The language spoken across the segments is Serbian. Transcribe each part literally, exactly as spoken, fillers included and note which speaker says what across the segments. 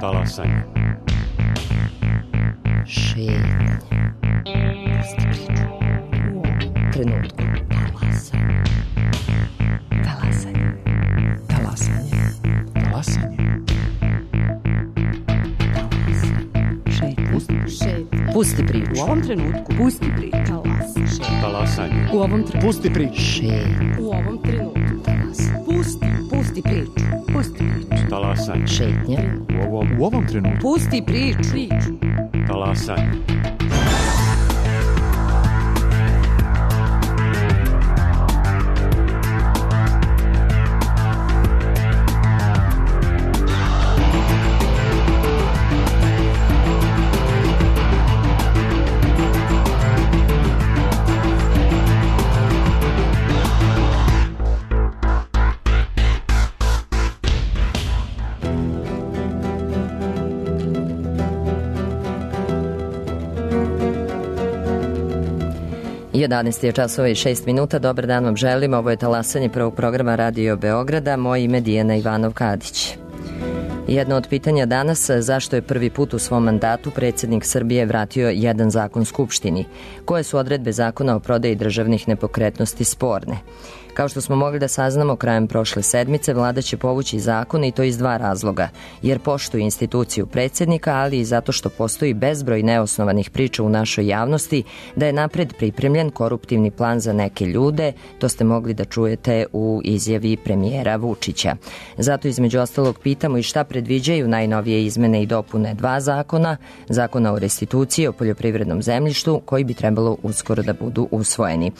Speaker 1: Talasanje.
Speaker 2: Šetnja. Pusti priču. U ovom trenutku. Talasanje. Talasanje. Talasanje.
Speaker 1: Talasanje.
Speaker 2: Šetnja. Šetnja. Pusti priču.
Speaker 3: U ovom trenutku. Pusti priču. Talasanje.
Speaker 1: Talasanje.
Speaker 3: U ovom trenutku.
Speaker 1: Pusti priču.
Speaker 2: Šetnja.
Speaker 3: U ovom trenutku.
Speaker 2: Talasanje.
Speaker 3: Pusti. Pusti priču. Pusti priču.
Speaker 1: Talasanje.
Speaker 2: Šetnja.
Speaker 1: U ovom, u ovom trenutku.
Speaker 3: Pusti priču. Priču.
Speaker 1: Talasanje.
Speaker 2: jedanaest je časova i šest minuta. Dobar dan vam želim. Ovo je Talasanje prvog programa Radio Beograda. Moje ime je Dijana Ivanov-Kadić. Jedno od pitanja danas, zašto je prvi put u svom mandatu predsjednik Srbije vratio jedan zakon Skupštini? Koje su odredbe zakona o prodaji državnih nepokretnosti sporne? Kao što smo mogli da saznamo krajem prošle sedmice, vlada će povući zakon i to iz dva razloga, jer poštuje instituciju predsjednika, ali i zato što postoji bezbroj neosnovanih priča u našoj javnosti da je napred pripremljen koruptivni plan za neke ljude. To ste mogli da čujete u izjavi premijera Vučića. Zato između ostalog pitamo i šta predviđaju najnovije izmene i dopune dva zakona, zakona o restituciji o poljoprivrednom zemljištu, koji bi trebalo uskoro da budu usvojeni.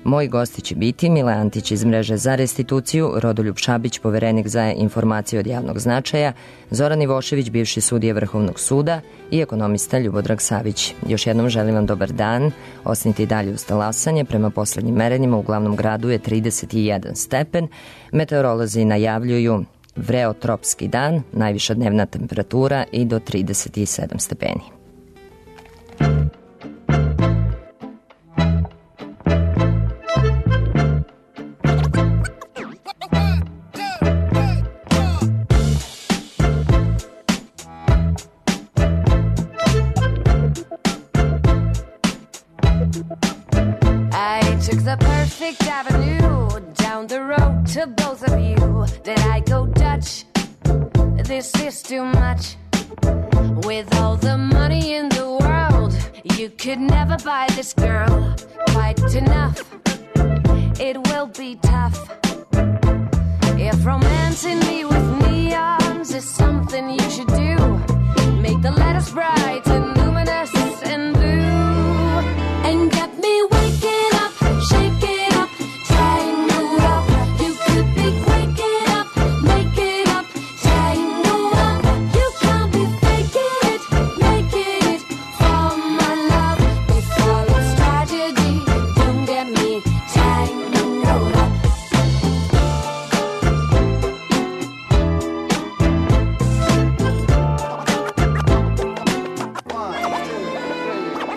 Speaker 2: Moji gosti će biti Mile Antić iz Mreže za restituciju, Rodoljub Šabić, poverenik za informacije od javnog značaja, Zoran Ivošević, bivši sudija Vrhovnog suda i ekonomista Ljubodrag Savić. Još jednom želim vam dobar dan. Ostanite i dalje uz Talasanje. Prema poslednjim merenjima u glavnom gradu je trideset jedan stepen. Meteorolozi najavljuju vreotropski dan, najviša dnevna temperatura i do trideset sedam stepeni.
Speaker 4: The perfect avenue down the road to both of you. Did I go Dutch? This is too much. With all the money in the world, you could never buy this girl quite enough. It will be tough. If romancing me with neons is something you should do, make the letters bright and luminous and blue, and get me waking up. Shake it up, tangle up. You could be waking up, make it up, tangle up. You can't be faking it, making it for my love. Before it's tragedy, don't get me tangled up.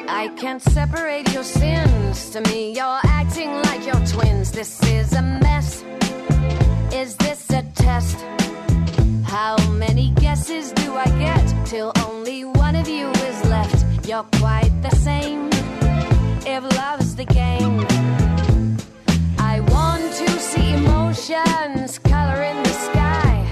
Speaker 4: I can't separate your sins. To me, you're acting like you're twins. This is a mess. Is this a test? How many guesses do I get till only one of you is left? You're quite the same. If love's the game, I want to see emotions color in the sky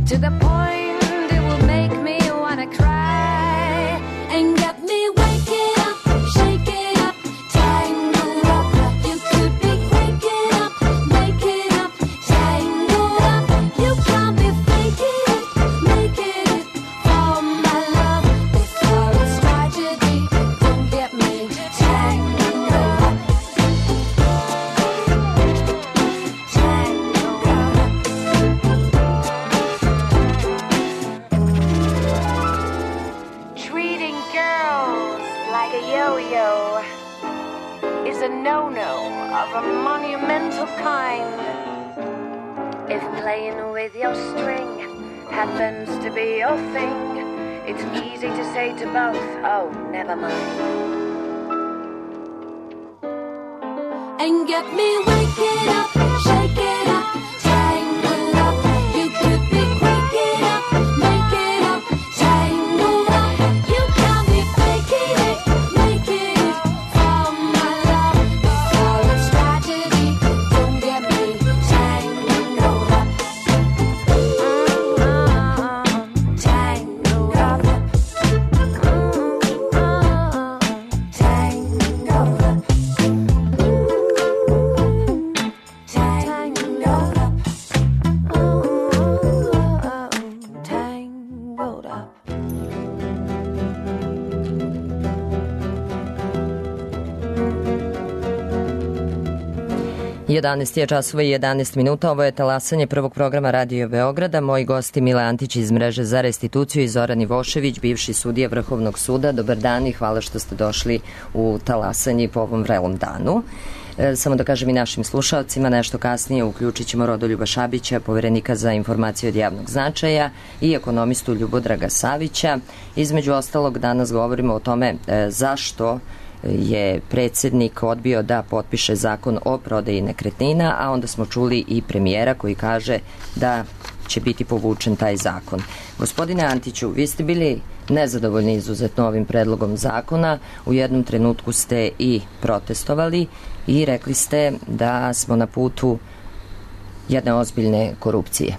Speaker 4: to the point it will make me wanna cry and get me waking up, shake it up, tangle up. You could be waking up, making up, tangle up. You can't be faking it, making it for my love. Before it's tragedy, don't get me tangled up, tangled up. Treating girls like a yo-yo is a no-no of a monumental kind. If playing with your string happens to be your thing, it's easy to say to both, oh, never mind. And get me waking up, shake it up, tangle up. You could be waking up, make it up, tangle
Speaker 2: jedanaest je časova i jedanaest minuta. Ovo je talasanje prvog programa Radio Beograda. Moji gosti Mile Antić iz Mreže za restituciju i Zoran Ivošević, bivši sudija Vrhovnog suda. Dobar dan i hvala što ste došli u talasanje po ovom vrelom danu. E, samo da kažem i našim slušalcima, nešto kasnije uključit ćemo Rodoljuba Šabića, poverenika za informacije od javnog značaja, i ekonomistu Ljubodraga Savića. Između ostalog, danas govorimo o tome e, zašto je predsjednik odbio da potpiše zakon o prodaji nekretnina, a onda smo čuli i premijera koji kaže da će biti povučen taj zakon. Gospodine Antiću, vi ste bili nezadovoljni izuzetno ovim predlogom zakona. U jednom trenutku ste i protestovali i rekli ste da smo na putu jedne ozbiljne korupcije.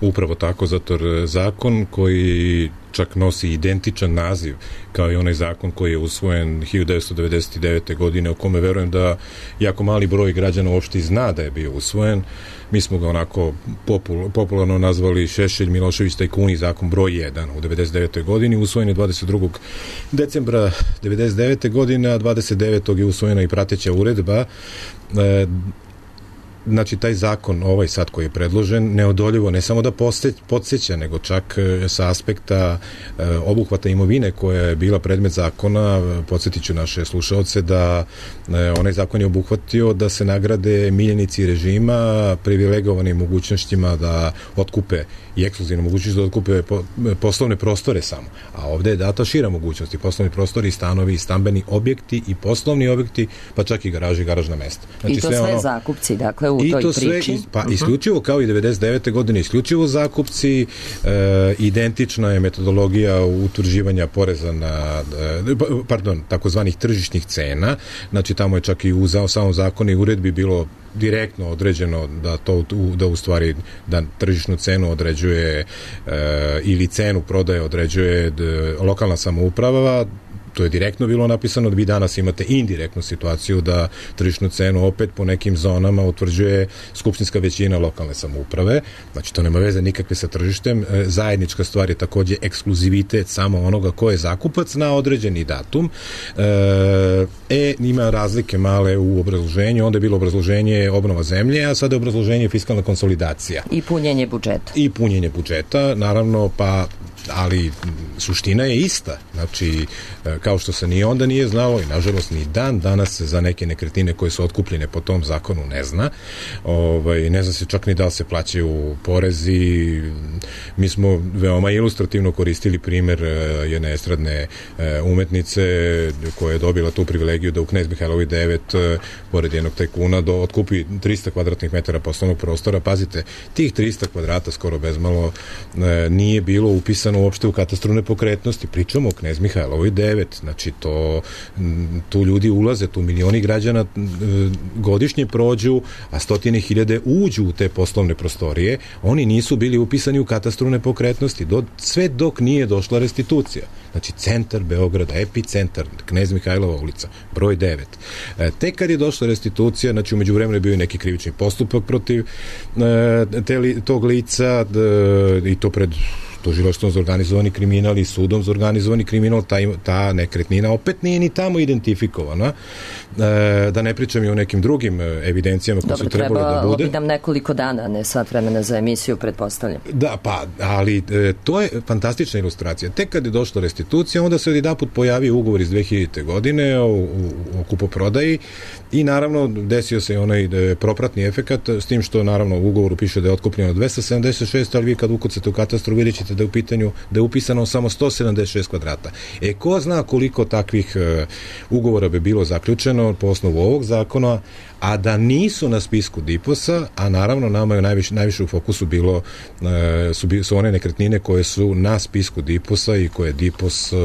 Speaker 5: Upravo tako, zato jer zakon koji čak nosi identičan naziv kao i onaj zakon koji je usvojen hiljadu devetsto devedeset devete. godine, o kome verujem da jako mali broj građana uopšte zna da je bio usvojen. Mi smo ga onako popul, popularno nazvali Šešelj, Milošević, tajkuni, zakon broj jedan u devedeset devetoj. godini, usvojen je dvadeset drugog decembra devedeset devete. godine, a dvadeset devetog je usvojena i prateća uredba. E, Znači, taj zakon, ovaj sad koji je predložen, neodoljivo ne samo da podsjeća, nego čak sa aspekta e, obuhvata imovine koja je bila predmet zakona. Podsjetit ću naše slušaoce da e, onaj zakon je obuhvatio da se nagrade miljenici režima privilegovanim mogućnostima da otkupe i ekskluzivno mogućnost da otkupe po, poslovne prostore samo. A ovde je data šira mogućnost, i poslovni prostori, i stanovi, i stambeni objekti, i poslovni objekti, pa čak i garaži i garažna mesta. Znači,
Speaker 2: I to sve, sve ono, zakupci, dakle, u
Speaker 5: i
Speaker 2: toj
Speaker 5: to sve,
Speaker 2: priči.
Speaker 5: Pa uh-huh. isključivo kao i devedeset devete. godine, isključivo zakupci, e, identična je metodologija utvrđivanja poreza na, e, pardon, takozvanih tržišnih cena. Znači, tamo je čak i u samom zakonu i uredbi bilo direktno određeno da to da u stvari da tržišnu cenu određuje e, ili cenu prodaje određuje d, lokalna samouprava. To je direktno bilo napisano. Da vi danas imate indirektnu situaciju da tržišnu cenu opet po nekim zonama utvrđuje skupštinska većina lokalne samouprave. Znači, to nema veze nikakve sa tržištem. E, zajednička stvar je takođe ekskluzivitet samo onoga ko je zakupac na određeni datum. E, e ima razlike male u obrazloženju. Onda je bilo obrazloženje obnova zemlje, a sada je obrazloženje fiskalna konsolidacija.
Speaker 2: I punjenje budžeta.
Speaker 5: I punjenje budžeta, naravno, pa ali suština je ista. Znači, kao što se ni onda nije znalo i nažalost ni dan danas za neke nekretnine koje su otkupljene po tom zakonu ne zna. Ovaj, ne zna se čak ni da li se plaćaju porezi. Mi smo veoma ilustrativno koristili primer jedne estradne umetnice koja je dobila tu privilegiju da u Knez Mihajlovoj devet pored jednog tajkuna do, otkupi trista kvadratnih metara poslovnog prostora. Pazite, tih trista kvadrata skoro bezmalo nije bilo upisano uopšte u katastru nepokretnosti. Pričamo o Knez Mihajlovoj devet. Znači, to, tu ljudi ulaze, tu milioni građana godišnje prođu, a stotine hiljade uđu u te poslovne prostorije. Oni nisu bili upisani u katastru nepokretnosti. Do, sve dok nije došla restitucija. Znači, centar Beograda, epicentar, Knez Mihajlova ulica, broj devet. E, tek kad je došla restitucija, znači, umeđu vremenu je bio i neki krivični postupak protiv e, te, tog lica d, i to pred tužilaštvom za organizovani kriminal i sudom za organizovani kriminal. Ta, ta nekretnina opet nije ni tamo identifikovana. E, da ne pričam i o nekim drugim evidencijama koje su trebalo da bude. Dobro,
Speaker 2: trebalo bi nam nekoliko dana, ne sat vremena za emisiju, pretpostavljam.
Speaker 5: Da, pa, ali e, to je fantastična ilustracija. Tek kad je došla restitucija, onda se odjedanput pojavio ugovor iz dve hiljadite. godine o, o, o kupoprodaji i naravno desio se onaj propratni efekat, s tim što naravno u ugovoru piše da je otkupljeno dvesta sedamdeset šest, ali vi kad ukucate u katastru vidjet ćete da je u pitanju, da je upisano samo sto sedamdeset šest kvadrata. E, ko zna koliko takvih uh, ugovora bi bilo zaključeno po osnovu ovog zakona, a da nisu na spisku DIPOS-a, a naravno nama je najviše, najviše u fokusu bilo uh, su, su one nekretnine koje su na spisku DIPOS-a i koje DIPOS uh,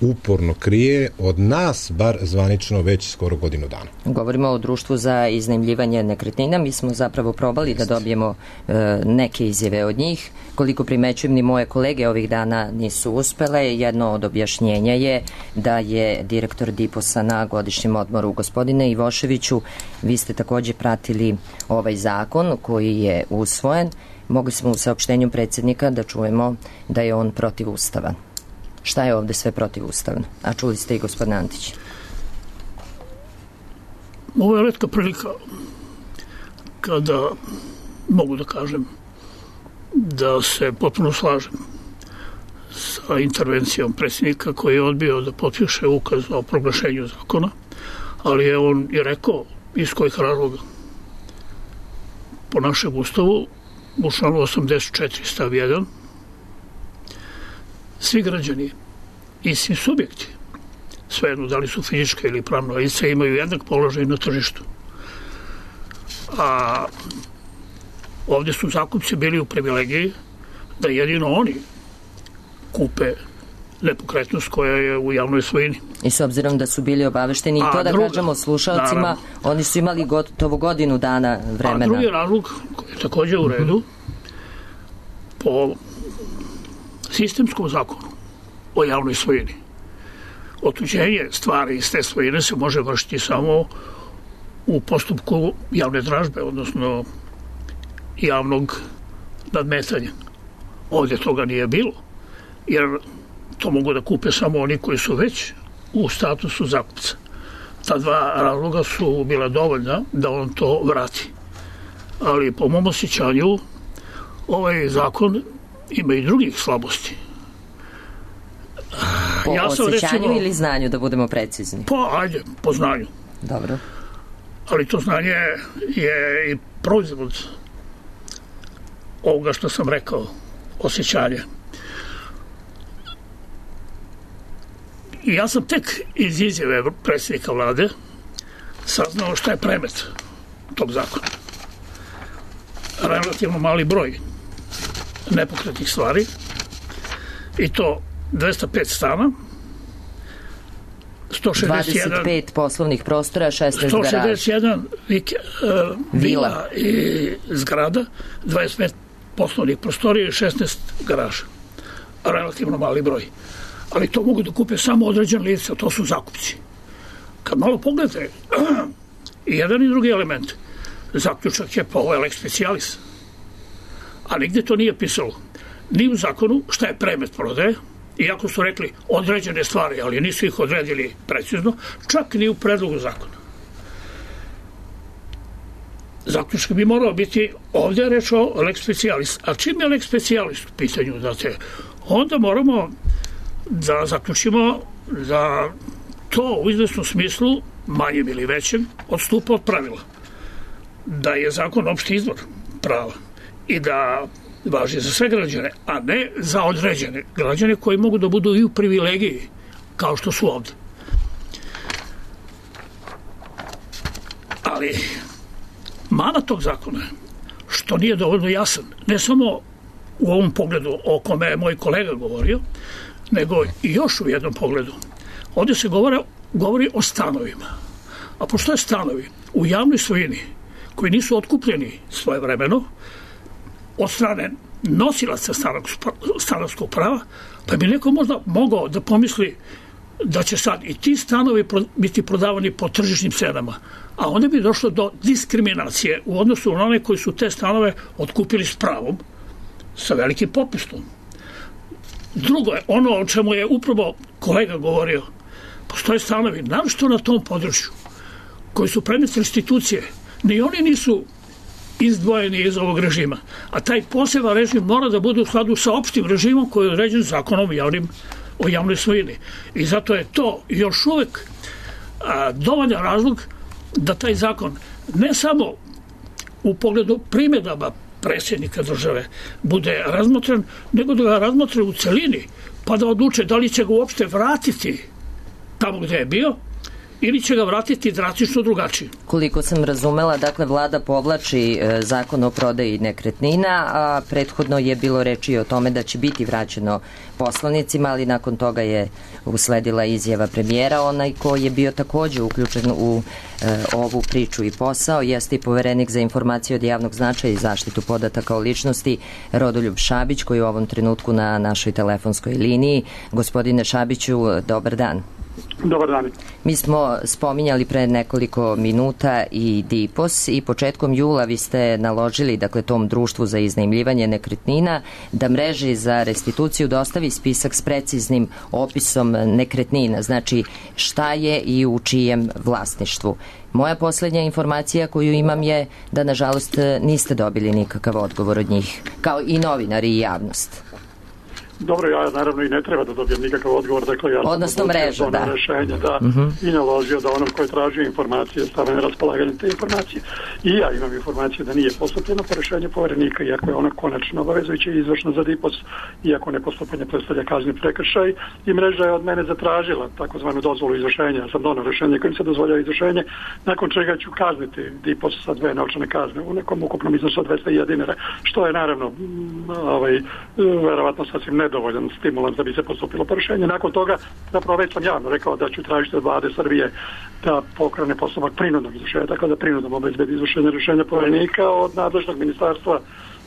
Speaker 5: uporno krije od nas, bar zvanično, već skoro godinu dana.
Speaker 2: Govorimo o društvu za iznajmljivanje nekretnina. Mi smo zapravo probali Just. da dobijemo uh, neke izjave od njih. Koliko primećujem, ni moje kolege ovih dana nisu uspele. Jedno od objašnjenja je da je direktor DIPOS-a na godišnjem odmoru. Gospodine Ivoševiću, vi ste takođe pratili ovaj zakon koji je usvojen. Mogli smo u saopštenju predsjednika da čujemo da je on protivustavan. Šta je ovde sve protivustavno? A čuli ste i gospodin Antić.
Speaker 6: Ovo je retka prilika prilika da mogu da kažem da se potpuno slažem sa intervencijom predsjednika koji je odbio da potpiše ukaz o proglašenju zakona, ali je on i rekao iz kojih razloga. Po našem ustavu, u članu osamdeset četiri stav jedan, svi građani i svi subjekti, svejedno da li su fizičke ili pravno lice, imaju jednak položaj na tržištu. A ovdje su zakupci bili u privilegiji da jedino oni kupe nepokretnost koja je u javnoj svojini.
Speaker 2: I s obzirom da su bili obavešteni i to da druga, kažemo slušalcima, naravno, oni su imali gotovo godinu dana vremena.
Speaker 6: A drugi razlog koji je također u redu, po sistemskom zakonu o javnoj svojini, otuđenje stvari iz te svojine se može vršiti samo u postupku javne dražbe, odnosno javnog nadmetanja. Ovdje toga nije bilo, jer to mogu da kupe samo oni koji su već u statusu zakupca. Ta dva razloga su bila dovoljna da on to vrati. Ali po mom osjećanju ovaj zakon ima i drugih slabosti.
Speaker 2: Po ja sam, osjećanju recimo, ili znanju, da budemo precizni?
Speaker 6: Po, ajde, po znanju.
Speaker 2: Dobro.
Speaker 6: Ali to znanje je i proizvod ovoga što sam rekao, osjećanje. I ja sam tek iz izjave predsjednika vlade saznao šta je premet tog zakona. Relativno mali broj nepokretnih stvari, i to dvesta pet stana, sto šezdeset jedan,
Speaker 2: dvadeset pet poslovnih prostora, šesnaest garaža,
Speaker 6: sto šezdeset jedan vik, uh, vila i zgrada, dvadeset pet poslovnih prostorija i šesnaest garaža. Relativno mali broj. Ali to mogu da kupe samo određen lice, to su zakupci. Kad malo pogledate, i jedan i drugi element, zaključak je pa ovo je lex specialis. A nigde to nije pisalo. Ni u zakonu šta je premet prodaje, iako su rekli određene stvari, ali nisu ih odredili precizno, čak ni u predlogu zakona. Zaključak bi morao biti, ovdje je reč o lex specialis. A čim je lex specialis u pitanju, znate, onda moramo da zaključimo da to u izvesnom smislu, manjem ili većem, odstupa od pravila. Da je zakon opšti izvor prava i da važi za sve građane, a ne za određene građane koji mogu da budu i u privilegiji, kao što su ovdje. Ali mana tog zakona je što nije dovoljno jasan, ne samo u ovom pogledu o kome je moj kolega govorio, nego i još u jednom pogledu. Ovdje se govore, govori o stanovima. A postoje stanovi u javnoj svojini koji nisu otkupljeni svojevremeno od strane nosilaca stanarskog prava, pa bi neko možda mogao da pomisli da će sad i ti stanovi biti prodavani po tržišnim cenama, a onda bi došlo do diskriminacije u odnosu na one koji su te stanove otkupili s pravom, sa velikim popustom. Drugo je, ono o čemu je upravo kolega govorio, postoje stanovi, naročito na tom području, koji su predmet restitucije, ni oni nisu izdvojeni iz ovog režima, a taj poseban režim mora da bude u skladu sa opštim režimom koji je određen zakonom javnim, o javnoj svojini. I zato je to još uvek a, dovoljan razlog da taj zakon ne samo u pogledu primjedaba predsjednika države bude razmotren, nego da ga razmotre u celini, pa da odluče da li će ga uopšte vratiti tamo gde je bio, ili će ga vratiti drastično drugačije.
Speaker 2: Koliko sam razumela, dakle, vlada povlači e, zakon o prodaji nekretnina, a prethodno je bilo reči o tome da će biti vraćeno poslanicima, ali nakon toga je usledila izjava premijera. Onaj ko je bio također uključen u e, ovu priču i posao jeste i poverenik za informacije od javnog značaja i zaštitu podataka o ličnosti Rodoljub Šabić, koji je u ovom trenutku na našoj telefonskoj liniji. Gospodine Šabiću, dobar dan.
Speaker 7: Dobar dan.
Speaker 2: Mi smo spominjali pre nekoliko minuta i DIPOS i početkom jula vi ste naložili, dakle, tom društvu za iznajmljivanje nekretnina da mreži za restituciju dostavi spisak s preciznim opisom nekretnina, znači šta je i u čijem vlasništvu. Moja posljednja informacija koju imam je da, nažalost, niste dobili nikakav odgovor od njih, kao i novinari i javnost.
Speaker 7: Dobro, ja naravno i ne treba da dobijem nikakav odgovor, dakle ja
Speaker 2: odnosno mreža, da.
Speaker 7: Rešenje, da,
Speaker 2: uh-huh.
Speaker 7: i naložio da onom koji tražio informacije stave na raspolaganje te informacije. I ja imam informacije da nije postupljeno po rešenju poverenika, iako je ona konačno obavezujuća i izvršna za D I P O S, iako nepostupanje predstavlja kazni prekršaj, i mreža je od mene zatražila takozvanu dozvolu izvršenja. Ja sam donao rešenje kojim se dozvoljava izvršenje, nakon čega ću kazniti D I P O S sa dve novčane kazne u nekom ukupnom iznosu od dvesta hiljada dinara, što je naravno ovaj, verovatno sasvim nedovoljan stimulans da bi se postupilo po rešenje. Nakon toga, zapravo već sam javno rekao da ću tražiti od vlade Srbije da pokrene postupak prinudnog izvršenja, tako da prinudom obezbedi izvršenje rešenja poverenika od nadležnog ministarstva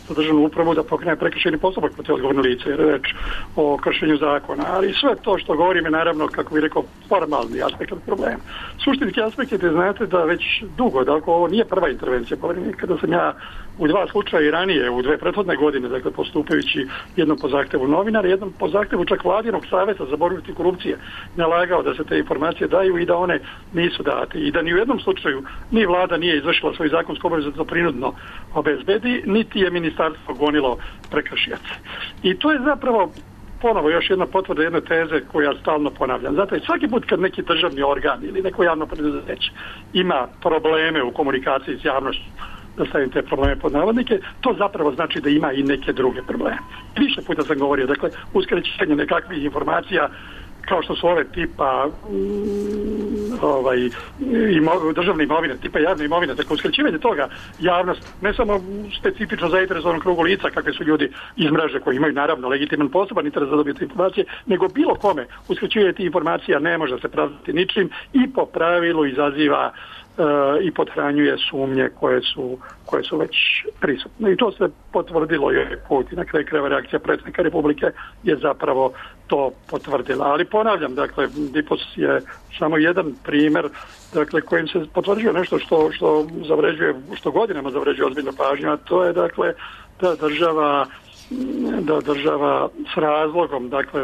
Speaker 7: za državnu upravu da pokrene prekršajni postupak protiv odgovorne lice, jer je reč o kršenju zakona. Ali sve to što govorim je naravno, kako bih rekao, formalni aspekt od problema. Suštinski aspekt je da znate da već dugo, dakle ovo nije prva intervencija poverenika, da sam ja u dva slučaja i ranije, u dve prethodne godine, dakle postupajući jednom po zahtevu novinara, jednom po zahtevu čak vladinog saveta za borbu protiv korupcije, nalagao da se te informacije daju i da one nisu date. I da ni u jednom slučaju ni vlada nije izvršila svoju zakonsku obavezu da prinudno obezbedi, niti je ministarstvo gonilo prekršioce. I to je zapravo ponovo još jedna potvrda jedne teze koju ja stalno ponavljam. Zato svaki put kad neki državni organ ili neko javno preduzeće ima probleme u komunikaciji s javnošću, da stavim te probleme pod navodnike, to zapravo znači da ima i neke druge probleme. Više puta sam govorio, dakle, uskraćivanje nekakvih informacija kao što su ove tipa mm, ovaj, imo, državne imovine, tipa javne imovine, dakle uskraćivanje toga javnost, ne samo specifično zainteresovanom krugu lica, kakve su ljudi iz mreže koji imaju naravno legitiman poseban interes da dobiju te informacije, nego bilo kome uskraćivanje tih informacija ne može se pravdati ničim i po pravilu izaziva uh, i pothranjuje sumnje koje su, koje su već prisutne. I to se potvrdilo i ovaj put i na kraju krajeva reakcija predsjednika Republike je zapravo to potvrdila. Ali ponavljam, dakle, D I P O S je samo jedan primjer, dakle, kojim se potvrđuje nešto što, što zavređuje, što godinama zavređuje ozbiljnu pažnju, a to je, dakle, da država da država s razlogom, dakle,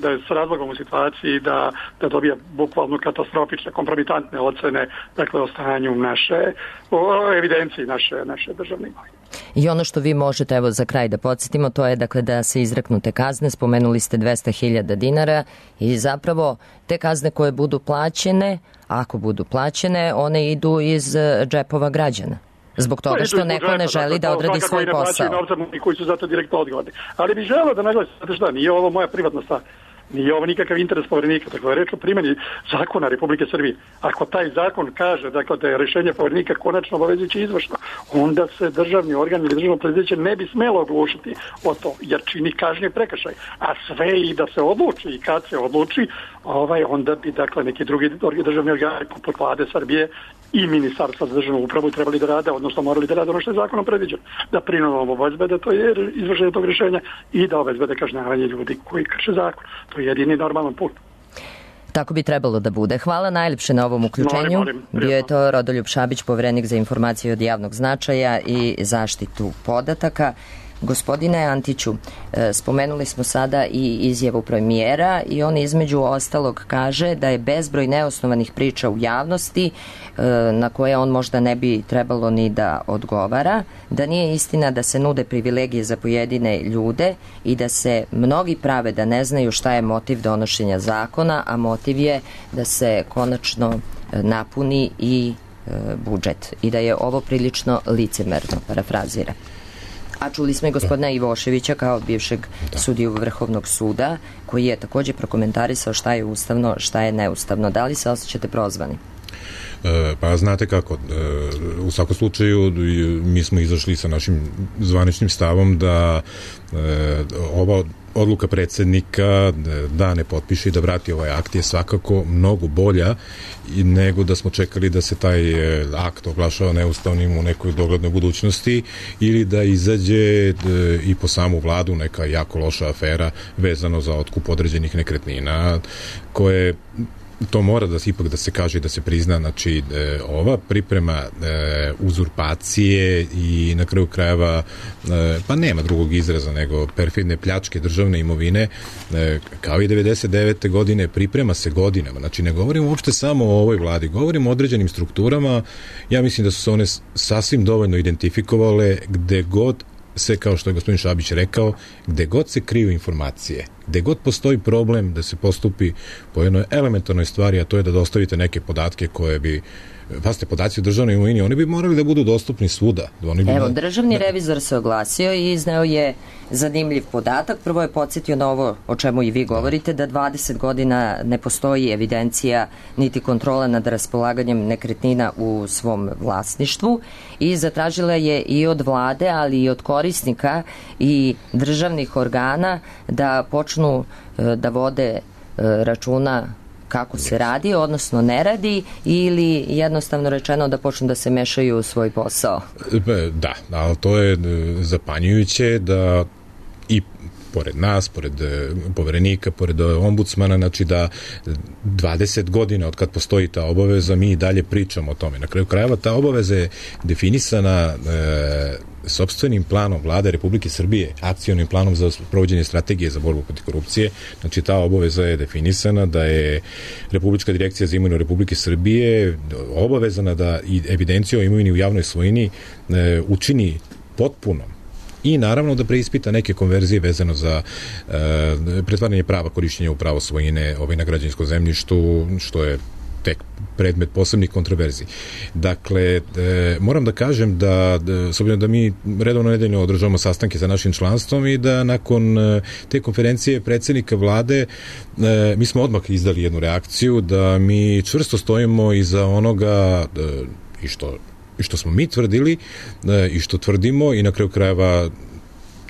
Speaker 7: da je s razlogom u situaciji da, da dobija bukvalno katastrofične, kompromitantne ocene, dakle, o stanju naše, o evidenciji naše, naše državne imovine.
Speaker 2: I ono što vi možete, evo za kraj da podsjetimo, to je dakle da se izreknute kazne, spomenuli ste dvesta hiljada dinara i zapravo te kazne koje budu plaćene, ako budu plaćene, one idu iz džepova građana. Zbog toga što neko ne želi da odradi svoj posao.
Speaker 7: I koji su zato direktno odgovorni. Ali bih želeo da naglasim, šta, nije ovo moja privatna stvar. Nije ovo nikakav interes poverenika, dakle je reč o primjeni zakona Republike Srbije. Ako taj zakon kaže, dakle, da je rješenje poverenika konačno obavezujuće izvršno, onda se državni organ ili državno preduzeće ne bi smelo oglušiti o to, jer čini kažnjiv prekršaj. A sve i da se odluči i kad se odluči, ovaj, onda bi, dakle, neki drugi državni organi poput vlade Srbije i ministarstva za državnu upravu trebali da rade, odnosno morali da rade ono što je zakonom predviđeno. Da prinudno obezbede to je izvršenje tog rješenja i da obezbede kažnjavanje ljudi koji krše zakon. To je jedini normalan put.
Speaker 2: Tako bi trebalo da bude. Hvala najljepše na ovom uključenju.
Speaker 7: Molim, molim,
Speaker 2: Bio je to Rodoljub Šabić, poverenik za informacije od javnog značaja i zaštitu podataka. Gospodine Antiću, spomenuli smo sada i izjavu premijera i on između ostalog kaže da je bezbroj neosnovanih priča u javnosti na koje on možda ne bi trebalo ni da odgovara, da nije istina da se nude privilegije za pojedine ljude i da se mnogi prave da ne znaju šta je motiv donošenja zakona, a motiv je da se konačno napuni i budžet i da je ovo prilično licemerno, parafrazira. A čuli smo i gospodina Ivoševića kao bivšeg da. sudiju Vrhovnog suda, koji je također prokomentarisao šta je ustavno, šta je neustavno. Da li se osjećate prozvani?
Speaker 5: E, pa znate kako, e, u svakom slučaju mi smo izašli sa našim zvaničnim stavom da e, ova odluka predsjednika da ne potpiše i da vrati ovaj akt je svakako mnogo bolja i nego da smo čekali da se taj akt oglašava neustavnim u nekoj doglednoj budućnosti ili da izađe i po samu vladu neka jako loša afera vezano za otkup određenih nekretnina koje to mora da ipak da se kaže i da se prizna, znači e, ova priprema e, uzurpacije i na kraju krajeva e, pa nema drugog izraza nego perfidne pljačke državne imovine e, kao i devedeset devete godine priprema se godinama, znači ne govorimo uopšte samo o ovoj vladi, govorimo o određenim strukturama, ja mislim da su se one sasvim dovoljno identifikovale gde god se, kao što je gospodin Šabić rekao, gde god se kriju informacije, gde god postoji problem da se postupi po jednoj elementarnoj stvari, a to je da dostavite neke podatke koje bi, pazite, podaci o državnoj imovini, oni bi morali da budu dostupni svuda. Oni bi
Speaker 2: Evo,
Speaker 5: da...
Speaker 2: državni revizor se oglasio i izneo je zanimljiv podatak. Prvo je podsjetio na ovo o čemu i vi govorite, da dvadeset godina ne postoji evidencija niti kontrola nad raspolaganjem nekretnina u svom vlasništvu i zatražila je i od vlade, ali i od korisnika i državnih organa da počnu da vode računa kako se radi, odnosno ne radi, ili jednostavno rečeno da počnu da se mešaju u svoj posao?
Speaker 5: Da, ali to je zapanjujuće da i pored nas, pored poverenika, pored ombudsmana, znači da dvadeset godina od kad postoji ta obaveza, mi i dalje pričamo o tome. Na kraju krajeva ta obaveza je definisana e, sopstvenim planom Vlade Republike Srbije, akcionim planom za provođenje strategije za borbu protiv korupcije. Znači ta obaveza je definisana da je Republička direkcija za imovinu Republike Srbije obavezana da i evidenciju o imovini u javnoj svojini e, učini potpuno i naravno da preispita neke konverzije vezano za e, pretvaranje prava korišćenja u pravo svojine ovaj, na građevinskom zemljištu, što je tek predmet posebnih kontroverziji. Dakle, e, moram da kažem da, da, s obzirom da mi redovno nedeljno održavamo sastanke sa našim članstvom i da nakon e, te konferencije predsjednika vlade e, mi smo odmah izdali jednu reakciju da mi čvrsto stojimo iza onoga e, i što i što smo mi tvrdili e, i što tvrdimo i na kraju krajeva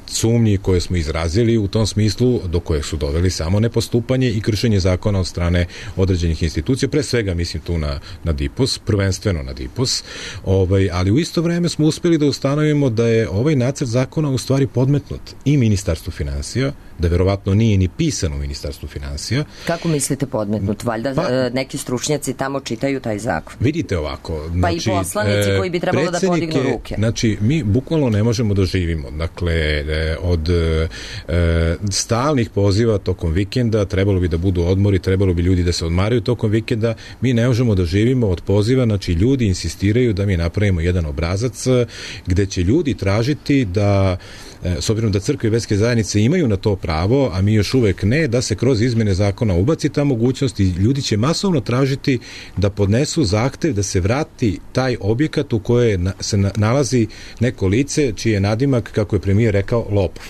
Speaker 5: sumnji koje smo izrazili u tom smislu do koje su doveli samo nepostupanje i kršenje zakona od strane određenih institucija, pre svega mislim tu na, na D I P O S, prvenstveno na D I P O S, ovaj, ali u isto vreme smo uspeli da ustanovimo da je ovaj nacrt zakona u stvari podmetnut i Ministarstvu finansija, da verovatno nije ni pisan u Ministarstvu finansija.
Speaker 2: Kako mislite podmetnut? Valjda pa, neki stručnjaci tamo čitaju taj zakon.
Speaker 5: Vidite ovako.
Speaker 2: Pa
Speaker 5: znači,
Speaker 2: i poslanici koji bi trebalo da podignu ruke.
Speaker 5: Znači, mi bukvalno ne možemo da živimo. Dakle, od e, stalnih poziva tokom vikenda, trebalo bi da budu odmori, trebalo bi ljudi da se odmaraju tokom vikenda, mi ne možemo da živimo od poziva, znači ljudi insistiraju da mi napravimo jedan obrazac gde će ljudi tražiti da s obzirom da crkve i verske zajednice imaju na to pravo, a mi još uvek ne, da se kroz izmene zakona ubaci ta mogućnost i ljudi će masovno tražiti da podnesu zahtev da se vrati taj objekat u kojoj se nalazi neko lice čiji je nadimak, kako je premijer rekao, lopov.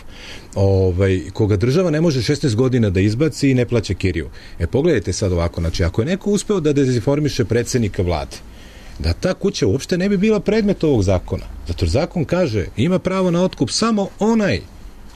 Speaker 5: Ovaj, koga država ne može šesnaest godina da izbaci i ne plaća kiriju. E, pogledajte sad ovako, znači ako je neko uspeo da dezinformiše predsjednika vlade, da ta kuća uopšte ne bi bila predmet ovog zakona. Zato zakon kaže, ima pravo na otkup samo onaj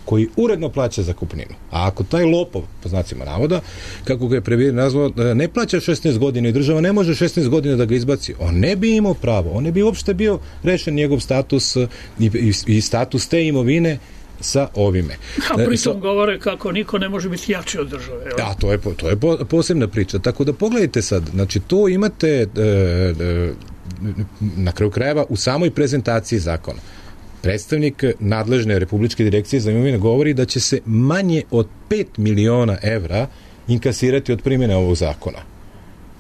Speaker 5: koji uredno plaća zakupninu. A ako taj lopov, po znacima navoda, kako ga je premijer nazvao, ne plaća šesnaest godina i država ne može šesnaest godina da ga izbaci, on ne bi imao pravo, on ne bi uopšte bio rešen njegov status i, i, i status te imovine sa ovime.
Speaker 6: A pritom govore kako niko ne može biti jači od države.
Speaker 5: Da, to je, to je posebna priča. Tako da pogledajte sad, znači to imate e, e, na kraju krajeva u samoj prezentaciji zakona. Predstavnik nadležne Republičke direkcije za imovinu govori da će se manje od pet miliona evra inkasirati od primjene ovog zakona.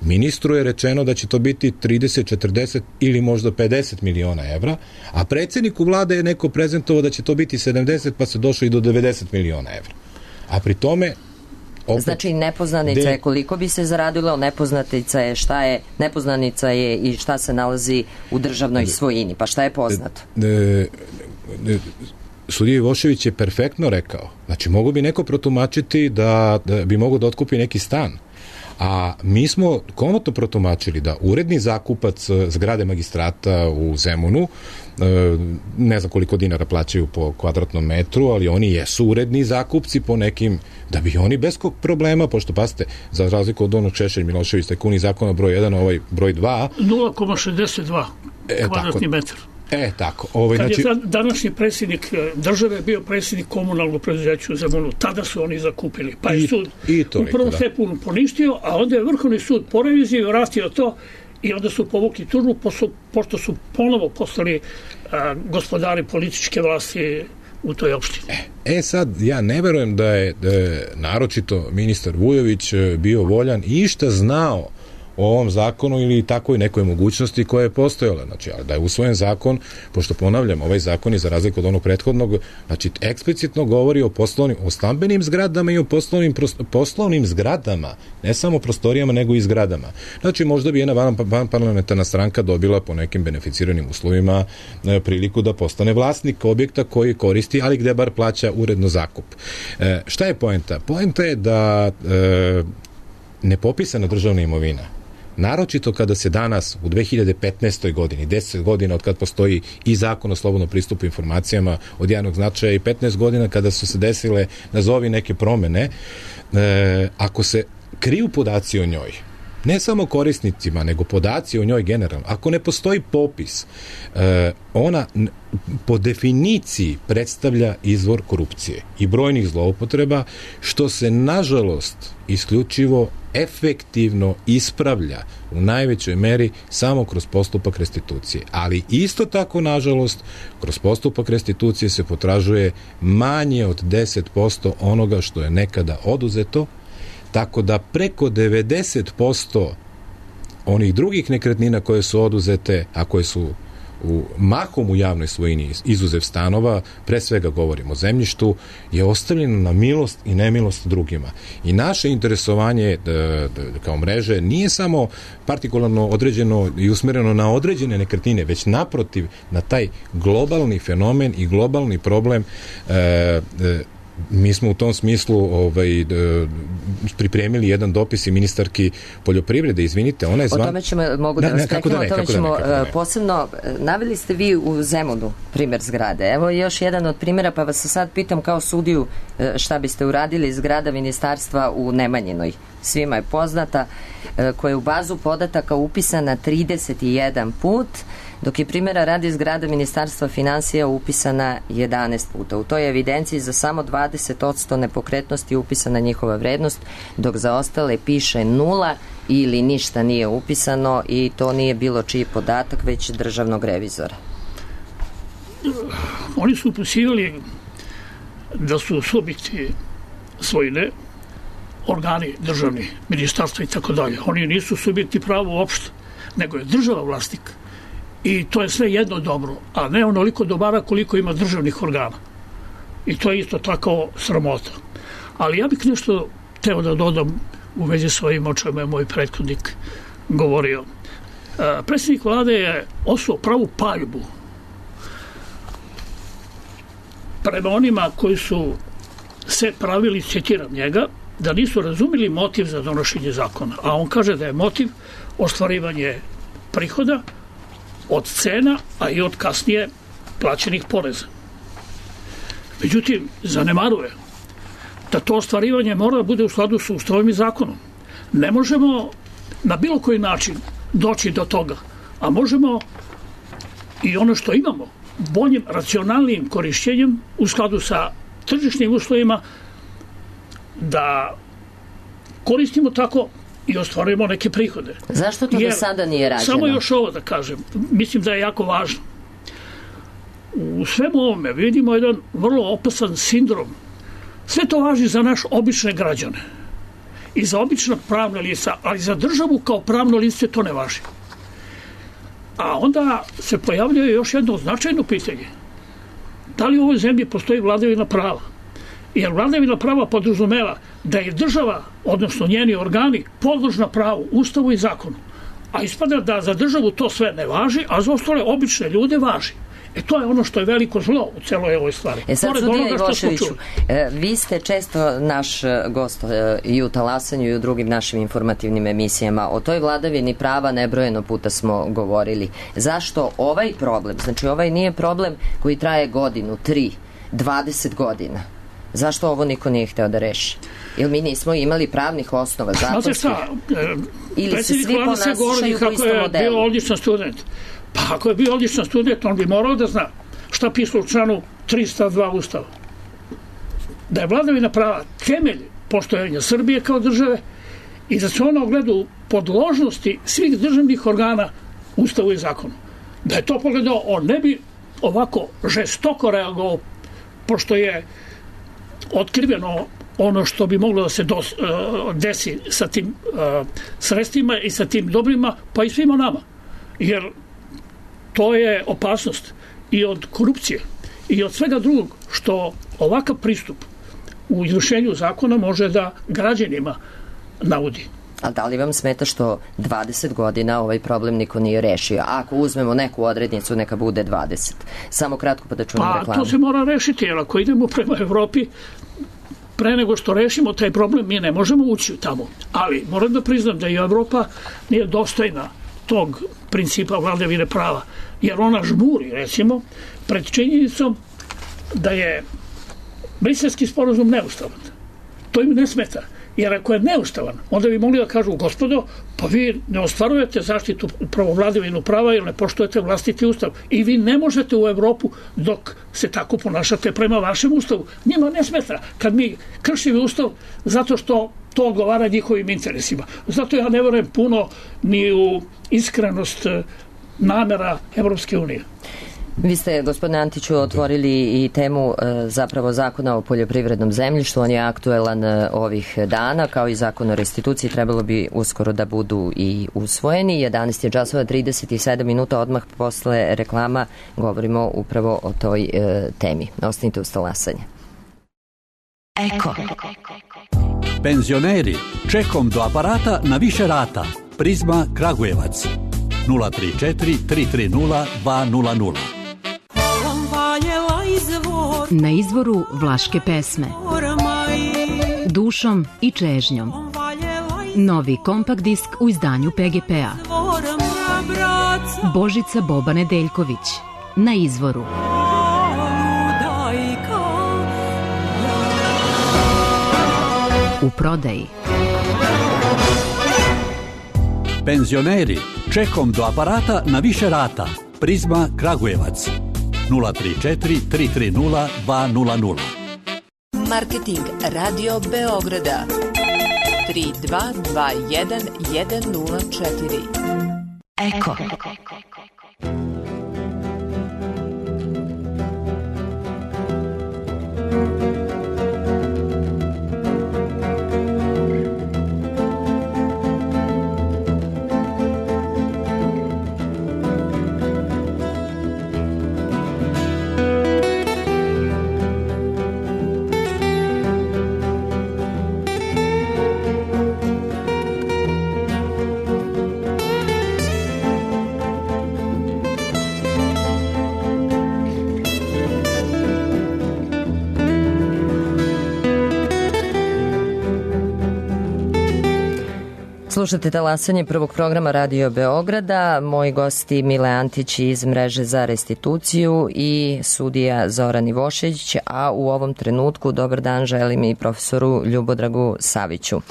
Speaker 5: Ministru je rečeno da će to biti trideset, četrdeset ili možda pedeset miliona evra, a predsjedniku vlade je neko prezentovao da će to biti sedamdeset, pa se došlo i do devedeset miliona evra. A pri tome opet,
Speaker 2: znači nepoznanica de... je koliko bi se zaradilo, nepoznanica je šta je, nepoznanica je i šta se nalazi u državnoj svojini, pa šta je poznato?
Speaker 5: De, de, de, Sudija Ivošević je perfektno rekao, znači mogu bi neko protumačiti da, da bi mogo da otkupi neki stan, a mi smo komotno protumačili da uredni zakupac zgrade magistrata u Zemunu, ne znam koliko dinara plaćaju po kvadratnom metru, ali oni jesu uredni zakupci po nekim, da bi oni bez problema, pošto pasite, za razliku od onog Šešelj Milošević tajkuni zakona broj jedan, ovaj broj dva
Speaker 6: nula zarez šezdeset dva
Speaker 5: e,
Speaker 6: kvadratni
Speaker 5: tako,
Speaker 6: metar.
Speaker 5: E, tako. Ovaj,
Speaker 6: Kad
Speaker 5: znači...
Speaker 6: je današnji predsjednik države bio predsjednik komunalnog preduzeća u Zemunu, tada su oni zakupili. Pa je sud
Speaker 5: i, i to
Speaker 6: u prvom
Speaker 5: da.
Speaker 6: stepenu poništio, a onda je Vrhovni sud po reviziji vratio to i onda su povukli tužbu, pošto su ponovo postali a, gospodari političke vlasti u toj opštini.
Speaker 5: E sad, ja ne verujem da je, da je naročito ministar Vujović bio voljan i išta znao o ovom zakonu ili takvoj nekoj mogućnosti koja je postojala. Znači, da je usvojen zakon, pošto ponavljam, ovaj zakon je za razliku od onog prethodnog, znači, eksplicitno govori o poslovnim, o stambenim zgradama i o poslovnim, poslovnim zgradama, ne samo prostorijama, nego i zgradama. Znači, možda bi jedna van, van parlamentarna stranka dobila po nekim beneficiranim uslovima e, priliku da postane vlasnik objekta koji koristi, ali gde bar plaća uredno zakup. E, šta je poenta? Poenta je da e, nepopisana državna imovina, naročito kada se danas u dve hiljade petnaestoj godini, deset godina od kad postoji i zakon o slobodnom pristupu informacijama od javnog značaja i petnaest godina kada su se desile, nazovi, neke promene, e, ako se kriju podaci o njoj, ne samo korisnicima, nego podaci o njoj generalno, ako ne postoji popis, e, ona po definiciji predstavlja izvor korupcije i brojnih zloupotreba, što se nažalost isključivo efektivno ispravlja u najvećoj meri samo kroz postupak restitucije. Ali isto tako, nažalost, kroz postupak restitucije se potražuje manje od deset posto onoga što je nekada oduzeto, tako da preko devedeset posto onih drugih nekretnina koje su oduzete, a koje su u mahom u javnoj svojini, izuzev stanova, pre svega govorimo o zemljištu, je ostavljeno na milost i nemilost drugima. I naše interesovanje da, da, kao mreže nije samo partikularno određeno i usmereno na određene nekretnine, već naprotiv na taj globalni fenomen i globalni problem. e, e, Mi smo u tom smislu ovaj, pripremili jedan dopis i ministarki poljoprivrede, izvinite, ona je zvan...
Speaker 2: O tome ćemo, mogu da, da vas preknem, o tome ćemo da ne, posebno, naveli ste vi u Zemunu primjer zgrade. Evo još jedan od primjera, pa vas sad pitam kao sudiju šta biste uradili. Zgrada ministarstva u Nemanjinoj. Svima je poznata, koja je u bazu podataka upisana trideset jedan put, dok je primjera radi zgrada Ministarstva finansija upisana jedanaest puta. U toj evidenciji za samo dvadeset posto nepokretnosti upisana njihova vrednost, dok za ostale piše nula ili ništa nije upisano, i to nije bilo čiji podatak, već državnog revizora.
Speaker 6: Oni su upisivali da su subjekti svojine, organi državni, ministarstva i tako dalje. Oni nisu subjekti prava uopšte, nego je država vlasnik. I to je sve jedno dobro, a ne onoliko dobara koliko ima državnih organa. I to je isto tako sramota. Ali ja bih nešto teo da dodam u vezi s ovim o čemu je moj prethodnik govorio. E, predsjednik vlade je osuo pravu paljbu prema onima koji su se pravili, citiram njega, da nisu razumeli motiv za donošenje zakona. A on kaže da je motiv ostvarivanje prihoda od cena, a i od kasnije plaćenih poreza. Međutim, zanemaruje da to ostvarivanje mora da bude u skladu sa Ustavom i zakonom. Ne možemo na bilo koji način doći do toga, a možemo i ono što imamo, boljim, racionalnim korišćenjem u skladu sa tržišnim uslovima, da koristimo tako i ostvarujemo neke prihode.
Speaker 2: Zašto to
Speaker 6: Jer,
Speaker 2: do sada nije rađeno?
Speaker 6: Samo još ovo da kažem, mislim da je jako važno. U svemu ovome vidimo jedan vrlo opasan sindrom. Sve to važi za naš obične građane i za obična pravna lica, ali za državu kao pravno lice to ne važi. A onda se pojavljuje još jedno značajno pitanje. Da li u ovoj zemlji postoji vladavina prava? Jer vladavina prava podrazumeva da je država, odnosno njeni organi, podložna pravu, Ustavu i zakonu. A ispada da za državu to sve ne važi, a za ostale obične ljude važi. E to je ono što je veliko zlo u celoj ovoj stvari.
Speaker 2: E sad, sudija Ivoševiću, e, vi ste često naš gost e, i u Talasanju i u drugim našim informativnim emisijama. O toj vladavini prava nebrojeno puta smo govorili. Zašto ovaj problem, znači ovaj nije problem koji traje godinu, tri, dvadeset godina. Zašto ovo niko nije hteo da reši? Jer mi nismo imali pravnih osnova zakonskih.
Speaker 6: Znate šta,
Speaker 2: ili se svi ponašaju po istom modelu?
Speaker 6: Bio odličan student. Pa ako je bio odličan student, on bi morao da zna šta piše u članu tristo dva Ustava. Da je vladavina prava temelj postojanja Srbije kao države i da se ona ogleda u podložnosti svih državnih organa Ustavu i zakonu. Da je to pogledao, on ne bi ovako žestoko reagovao, pošto je otkriveno ono što bi moglo da se dos, uh, desi sa tim uh, sredstvima i sa tim dobrima, pa i svima nama. Jer to je opasnost i od korupcije i od svega drugog što ovakav pristup u izvršenju zakona može da građanima naudi.
Speaker 2: A da li vam smeta što dvadeset godina ovaj problem niko nije rešio? Ako uzmemo neku odrednicu, neka bude dvadeset. Samo kratko pa da čujemo
Speaker 6: pa,
Speaker 2: reklamu.
Speaker 6: To se mora rešiti, jer ako idemo prema Evropi, pre nego što rešimo taj problem, mi ne možemo ući tamo. Ali moram da priznam da i Evropa nije dostojna tog principa vladavine prava, jer ona žmuri, recimo, pred činjenicom da je Briselski sporazum neustavan. To im ne smeta. Jer ako je neustavan, onda bi mogli da kažu, gospodo, pa vi ne ostvarujete zaštitu upravo vladavinu prava jer ne poštujete vlastiti ustav. I vi ne možete u Evropu dok se tako ponašate prema vašem ustavu. Njima ne smeta kad mi kršimo ustav zato što to odgovara njihovim interesima. Zato ja ne verujem puno ni u iskrenost namera Evropske unije.
Speaker 2: Vi ste, gospodine Antiću, otvorili i temu zapravo zakona o poljoprivrednom zemljištu. On je aktuelan ovih dana, kao i zakon o restituciji. Trebalo bi uskoro da budu i usvojeni. jedanaest je časova trideset sedam minuta, odmah posle reklama govorimo upravo o toj e, temi. Ostanite uz talasanje.
Speaker 8: Eko. Penzioneri, čekom do aparata na više rata. Prizma Kragujevac. nula tri četiri tri tri nula dva nula nula.
Speaker 9: Na izvoru vlaške pesme. Dušom i čežnjom. Novi kompakt disk u izdanju P G P-a. Božica Boba Nedeljković. Na izvoru. U prodaji.
Speaker 8: Penzioneri, čekom do aparata na više rata. Prizma Kragujevac. nula tri četiri tri tri nula dva nula nula.
Speaker 10: Marketing Radio Beograda tri dva dva jedan jedan nula četiri.
Speaker 8: Eko.
Speaker 2: Slušate talasanje prvog programa Radio Beograda. Moji gosti Mile Antić iz Mreže za restituciju i sudija Zoran Ivošević, a u ovom trenutku dobar dan želim i profesoru Ljubodragu Saviću.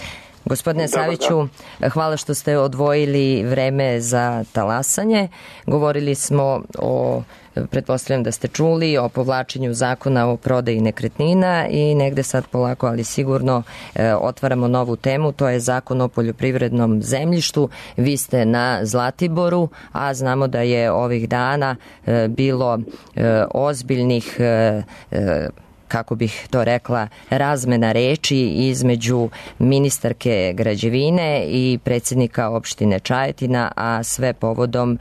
Speaker 2: Gospodine Saviću, hvala što ste odvojili vreme za talasanje. Govorili smo o, pretpostavljam da ste čuli, o povlačenju zakona o prodaji nekretnina i negde sad polako, ali sigurno e, otvaramo novu temu, to je zakon o poljoprivrednom zemljištu. Vi ste na Zlatiboru, a znamo da je ovih dana e, bilo e, ozbiljnih e, e, kako bih to rekla, razmena reči između ministarke građevine i predsjednika opštine Čajetina, a sve povodom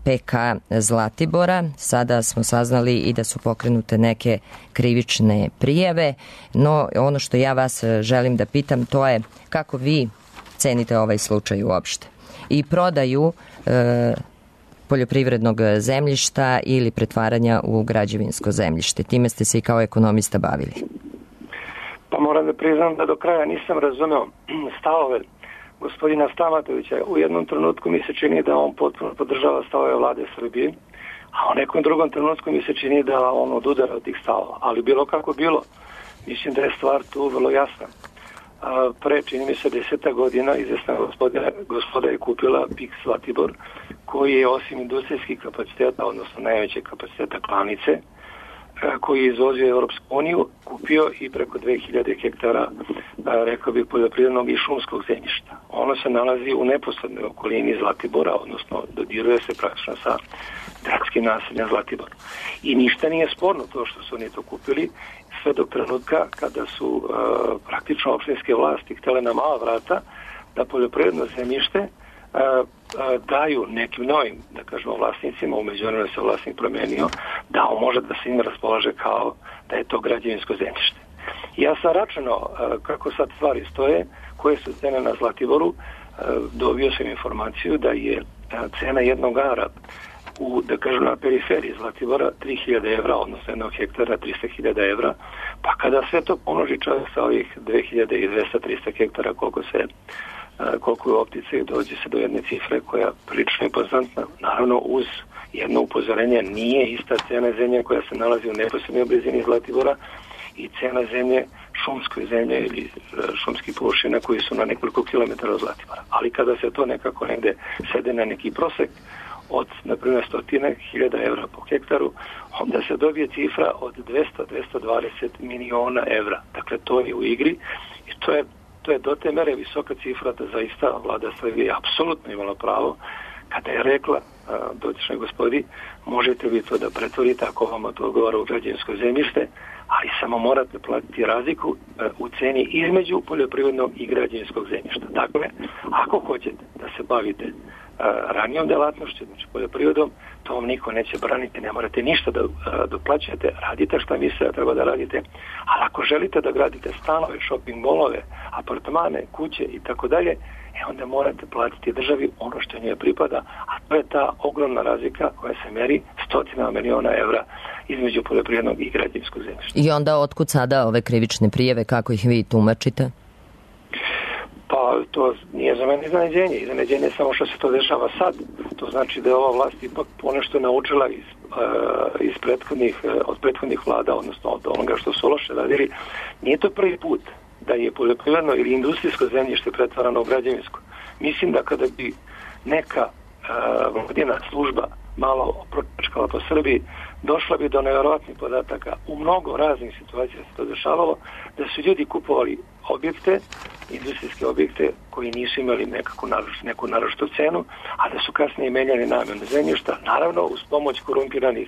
Speaker 2: P K Zlatibora. Sada smo saznali i da su pokrenute neke krivične prijave, no ono što ja vas želim da pitam, to je kako vi cenite ovaj slučaj uopšte i prodaju e, poljoprivrednog zemljišta ili pretvaranja u građevinsko zemljište. Time ste se i kao ekonomista bavili.
Speaker 11: Pa moram da priznam da do kraja nisam razumeo stavove gospodina Stamatovića. U jednom trenutku mi se čini da on potpuno podržava stavove vlade Srbije, a u nekom drugom trenutku mi se čini da on odudara od tih stavova. Ali bilo kako bilo, mislim da je stvar tu vrlo jasna. a, pre, čini mi se, deseta godina izvesna gospoda, gospoda je kupila P I K Zlatibor, koji je osim industrijskih kapaciteta, odnosno najvećeg kapaciteta klanice, koji je izvozio Europsku uniju, kupio i preko dve hiljade hektara, rekao bih, poljoprivrednog i šumskog zemljišta. Ono se nalazi u neposrednoj okolini Zlatibora, odnosno dodiruje se praktično sa gradskim naseljem Zlatibor. I ništa nije sporno to što su oni to kupili, sve do trenutka kada su uh, praktično opštinske vlasti htjele na mala vrata da poljoprivredno zemljište uh, uh, daju nekim novim, da kažemo, vlasnicima, u međuvremenu se vlasnik promenio, da on može da se im raspolaže kao da je to građevinsko zemljište. Ja sam računao uh, kako sad stvari stoje, koje su cene na Zlatiboru, uh, dobio sam informaciju da je uh, cena jednog ara u, da kažem, na periferiji Zlatibora tri hiljade evra, odnosno jednog hektara trista hiljada evra, pa kada sve to pomnoži čovjek sa ovih dve hiljade dvesta do trista hektara, koliko se koliko je u optici, dođe se do jedne cifre koja je prilično impozantna. Naravno, uz jedno upozorenje, nije ista cena zemlje koja se nalazi u neposrednoj blizini Zlatibora i cena zemlje, šumskoj zemlje ili šumskih površina koji su na nekoliko kilometara od Zlatibora. Ali kada se to nekako negde sede na neki prosek od, na primjer, stotine hiljada evra po hektaru, onda se dobije cifra od dvesta do dvesta dvadeset miliona evra. Dakle, to je u igri i to je, to je do te mere visoka cifra da zaista vlada Srbije apsolutno imala pravo kada je rekla dotičnoj gospodi, možete vi to da pretvorite ako vam to odgovara u građevinsko zemljište, ali samo morate platiti razliku u ceni između poljoprivrednog i građevinskog zemljišta. Dakle, ako hoćete da se bavite ranijom delatnošću, znači poljoprivredom, to vam niko neće braniti, ne morate ništa da doplaćate, radite šta mislite da treba da radite, ali ako želite da gradite stanove, shopping mallove, apartmane, kuće i tako dalje, e onda morate platiti državi ono što njoj pripada, a to je ta ogromna razlika koja se meri stotina miliona evra između poljoprivrednog i građevinskog zemljišta.
Speaker 2: I onda otkud sada ove krivične prijeve, kako ih vi tumačite?
Speaker 11: Pa to nije za mene iznenađenje. Iznenađenje je samo što se to dešava sad. To znači da je ova vlast ipak ponešto naučila iz, uh, iz prethodnih, uh, od prethodnih vlada, odnosno od onoga što su loše radili. Nije to prvi put da je poljoprivredno ili industrijsko zemljište pretvarano u građevinsko. Mislim da kada bi neka uh, vladina služba malo pročkala po Srbiji, došla bi do nevjerojatnih podataka. U mnogo raznih situacija se to dešavalo, da su ljudi kupovali objekte, industrijske objekte koji nisu imali nekako naroč, neku naročitu cenu, a da su kasnije menjali namjenu zemljišta, naravno uz pomoć korumpiranih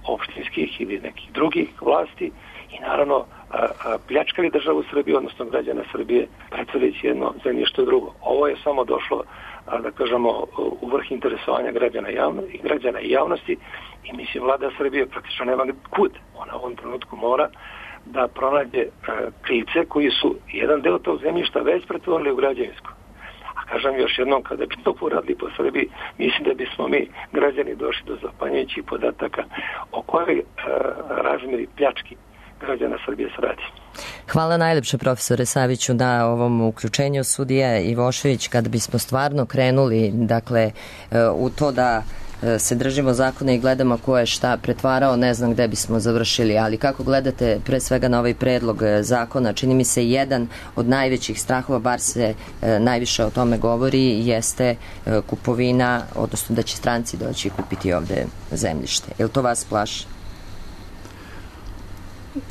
Speaker 11: opštinskih ili nekih drugih vlasti i naravno a, a, pljačkali državu Srbije, odnosno građana Srbije, pretvoreći jedno zemljište drugo. Ovo je samo došlo, a, da kažemo, u vrh interesovanja građana, javno, i građana i javnosti i mislim vlada Srbije praktično nema kud. Ona u ovom trenutku mora da pronađe a, krivce koji su jedan deo tog zemljišta već pretvorili u građevinsko. A kažem još jednom, kada bi to poradili po Srbiji, mislim da bismo mi građani došli do zapanjujućih podataka o kojoj a, razmeri pljački građana Srbije se radi.
Speaker 2: Hvala najlepše, profesore Saviću, na ovom uključenju. Sudija Ivošević, kada bismo stvarno krenuli, dakle, u to da se držimo zakona i gledamo ko je šta pretvarao, ne znam gde bismo završili, ali kako gledate pre svega na ovaj predlog zakona? Čini mi se jedan od najvećih strahova, bar se najviše o tome govori, jeste kupovina, odnosno da će stranci doći kupiti ovde zemljište. Je li to vas plaši?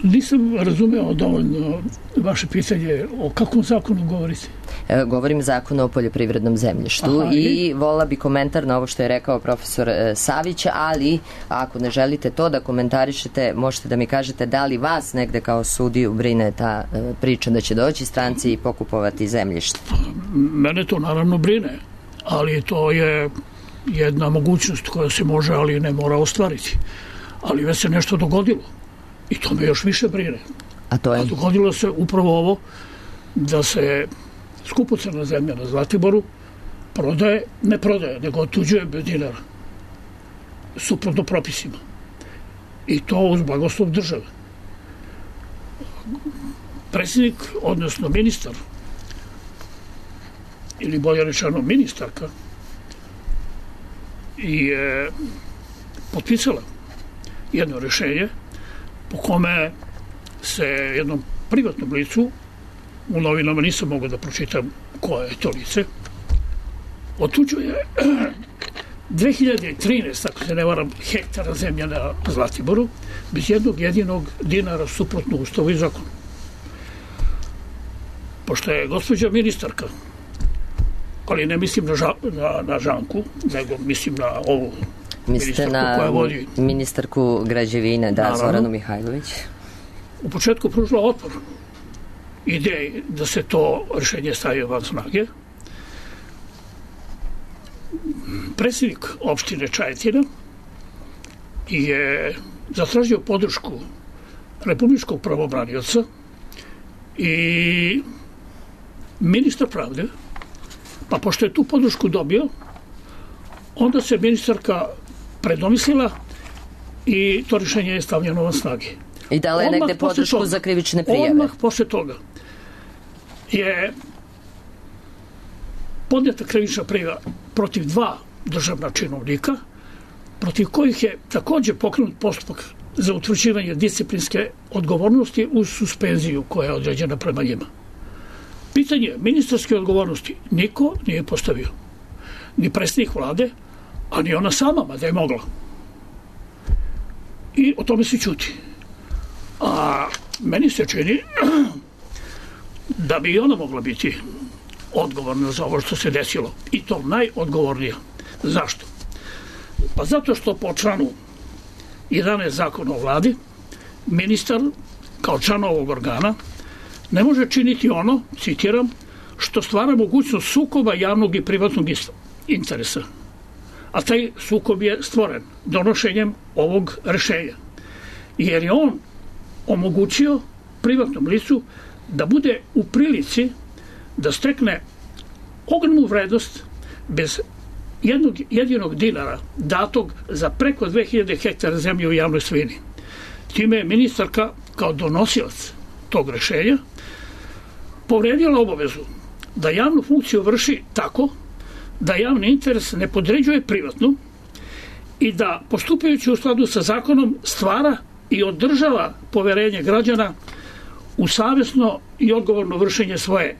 Speaker 6: Nisam razumeo dovoljno vaše pitanje, o kakvom zakonu govorite?
Speaker 2: E, govorim zakonu o poljoprivrednom zemljištu. Aha, i, i vola bi komentar na ovo što je rekao profesor e, Savić, ali ako ne želite to da komentarišete, možete da mi kažete da li vas negde kao sudiju brine ta e, priča da će doći stranci i pokupovati zemljište?
Speaker 6: Mene to naravno brine, ali to je jedna mogućnost koja se može, ali ne mora ostvariti. Ali već se nešto dogodilo. I to me još više brine.
Speaker 2: A to je?
Speaker 6: A dogodilo se upravo ovo da se skupocena zemlja na Zlatiboru prodaje, ne prodaje, nego otuđuje bez dinara. Suprotno propisima. I to uz blagoslov države. Predsjednik, odnosno ministar, ili bolje rečeno ministarka, je potpisala jedno rešenje po kome se jednom privatnom licu u novinama nisam mogao da pročitam koje je to lice, otuđuje dve hiljade trinaeste. ako se ne varam, hektara zemlja na Zlatiboru, bez jednog jedinog dinara suprotno ustavu i zakonu. Pošto je gospođa ministarka, ali ne mislim na, ža, na, na Žanku, nego mislim na ovu
Speaker 2: Mislite
Speaker 6: ministarku koja vodi...
Speaker 2: ministarku građevine, da,
Speaker 6: Naravno.
Speaker 2: Zoranu Mihajlović.
Speaker 6: U početku pružila otpor ideji da se to rešenje stavi van snage. Predsjednik opštine Čajetina je zatražio podršku republičkog pravobranioca i ministar pravde, pa pošto je tu podršku dobio, onda se ministarka predomislila i to rešenje je stavljeno van snage.
Speaker 2: I dala je
Speaker 6: Odmah
Speaker 2: negde podršku
Speaker 6: toga,
Speaker 2: za krivične prijave.
Speaker 6: Odmah posle toga je podneta krivična prijava protiv dva državna činovnika, protiv kojih je takođe pokrenut postupak za utvrđivanje disciplinske odgovornosti uz suspenziju koja je određena prema njima. Pitanje ministarske odgovornosti niko nije postavio. Ni predsjednik vlade, a ni ona sama, mada je mogla. I o tome se ćuti. A meni se čini da bi i ona mogla biti odgovorna za ovo što se desilo. I to najodgovornija. Zašto? Pa zato što po članu jedanaest zakona o vladi, ministar kao član ovog organa ne može činiti ono, citiram, što stvara mogućnost sukoba javnog i privatnog interesa. A taj sukob je stvoren donošenjem ovog rešenja. Jer je on omogućio privatnom licu da bude u prilici da stekne ogromnu vrednost bez jednog jedinog dinara datog za preko dve hiljade hektara zemlje u javnoj svojini. Time je ministarka kao donosilac tog rešenja povredila obavezu da javnu funkciju vrši tako da javni interes ne podređuje privatnu i da postupajući u skladu sa zakonom stvara i održava poverenje građana u savesno i odgovorno vršenje svoje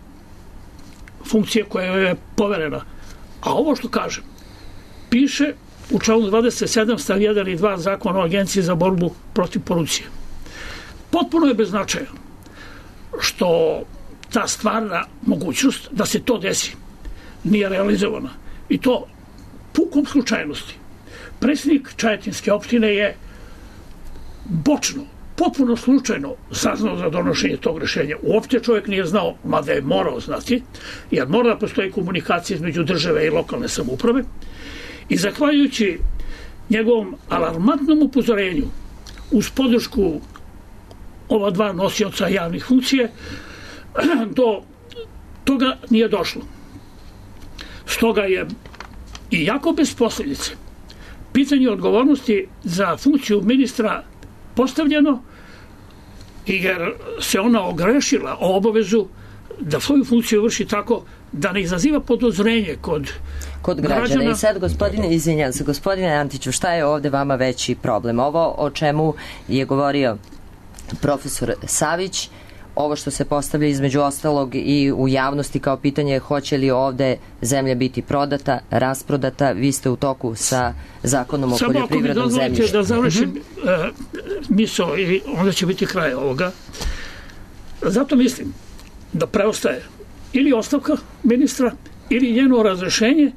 Speaker 6: funkcije koja je poverena. A ovo što kažem, piše u članu dvadeset sedam stav jedan i dva Zakona o Agenciji za borbu protiv korupcije. Potpuno je bez značaja što ta stvarna mogućnost da se to desi nije realizovana. I to pukom slučajnosti. Predsjednik Čajetinske opštine je bočno, potpuno slučajno saznao za donošenje tog rešenja. Uopšte čovjek nije znao, mada je morao znati, jer mora da postoji komunikacija između države i lokalne samouprave. I zahvaljujući njegovom alarmantnom upozorenju uz podršku ova dva nosioca javnih funkcije, do toga nije došlo. Stoga je i jako bez posljedice pitanje odgovornosti za funkciju ministra postavljeno, jer se ona ogrešila o obavezu da svoju funkciju vrši tako da ne izaziva podozrenje kod,
Speaker 2: kod građana. građana. I sad, gospodine, izvinjam se, gospodine Antiću, šta je ovde vama veći problem? Ovo o čemu je govorio profesor Savić, ovo što se postavlja između ostalog i u javnosti kao pitanje hoće li ovde zemlja biti prodata, rasprodata, vi ste u toku sa zakonom o
Speaker 6: Samo
Speaker 2: poljoprivrednom zemljištu.
Speaker 6: Samo ako mi dozvolite da završim uh-huh. uh, misao i onda će biti kraj ovoga. Zato mislim da preostaje ili ostavka ministra, ili njeno razrešenje,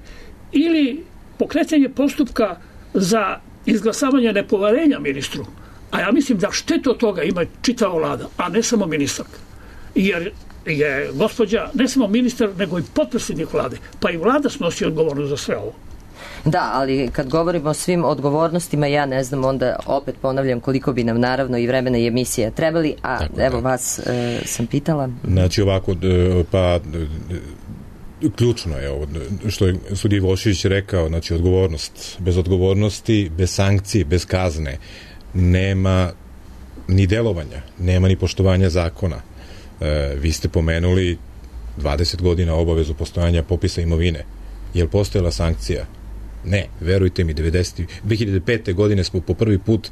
Speaker 6: ili pokretanje postupka za izglasavanje nepoverenja ministru. A ja mislim da štetu od toga ima čitava vlada, a ne samo ministarka. Jer je gospođa ne samo ministar, nego i potpredsjednik vlade. Pa i vlada snosi odgovornost za sve ovo.
Speaker 2: Da, ali kad govorimo o svim odgovornostima, ja ne znam, onda opet ponavljam koliko bi nam naravno i vremena i emisija trebali, a tako, evo da. vas e, sam pitala.
Speaker 5: Znači ovako, pa ključno je ovo što je sudija Vošić rekao, znači odgovornost. Bez odgovornosti, bez sankcije, bez kazne nema ni delovanja, nema ni poštovanja zakona. E, vi ste pomenuli dvadeset godina obavezu postojanja popisa imovine. Je li postojala sankcija? Ne, verujte mi, devedeset, dve hiljade pete godine smo po prvi put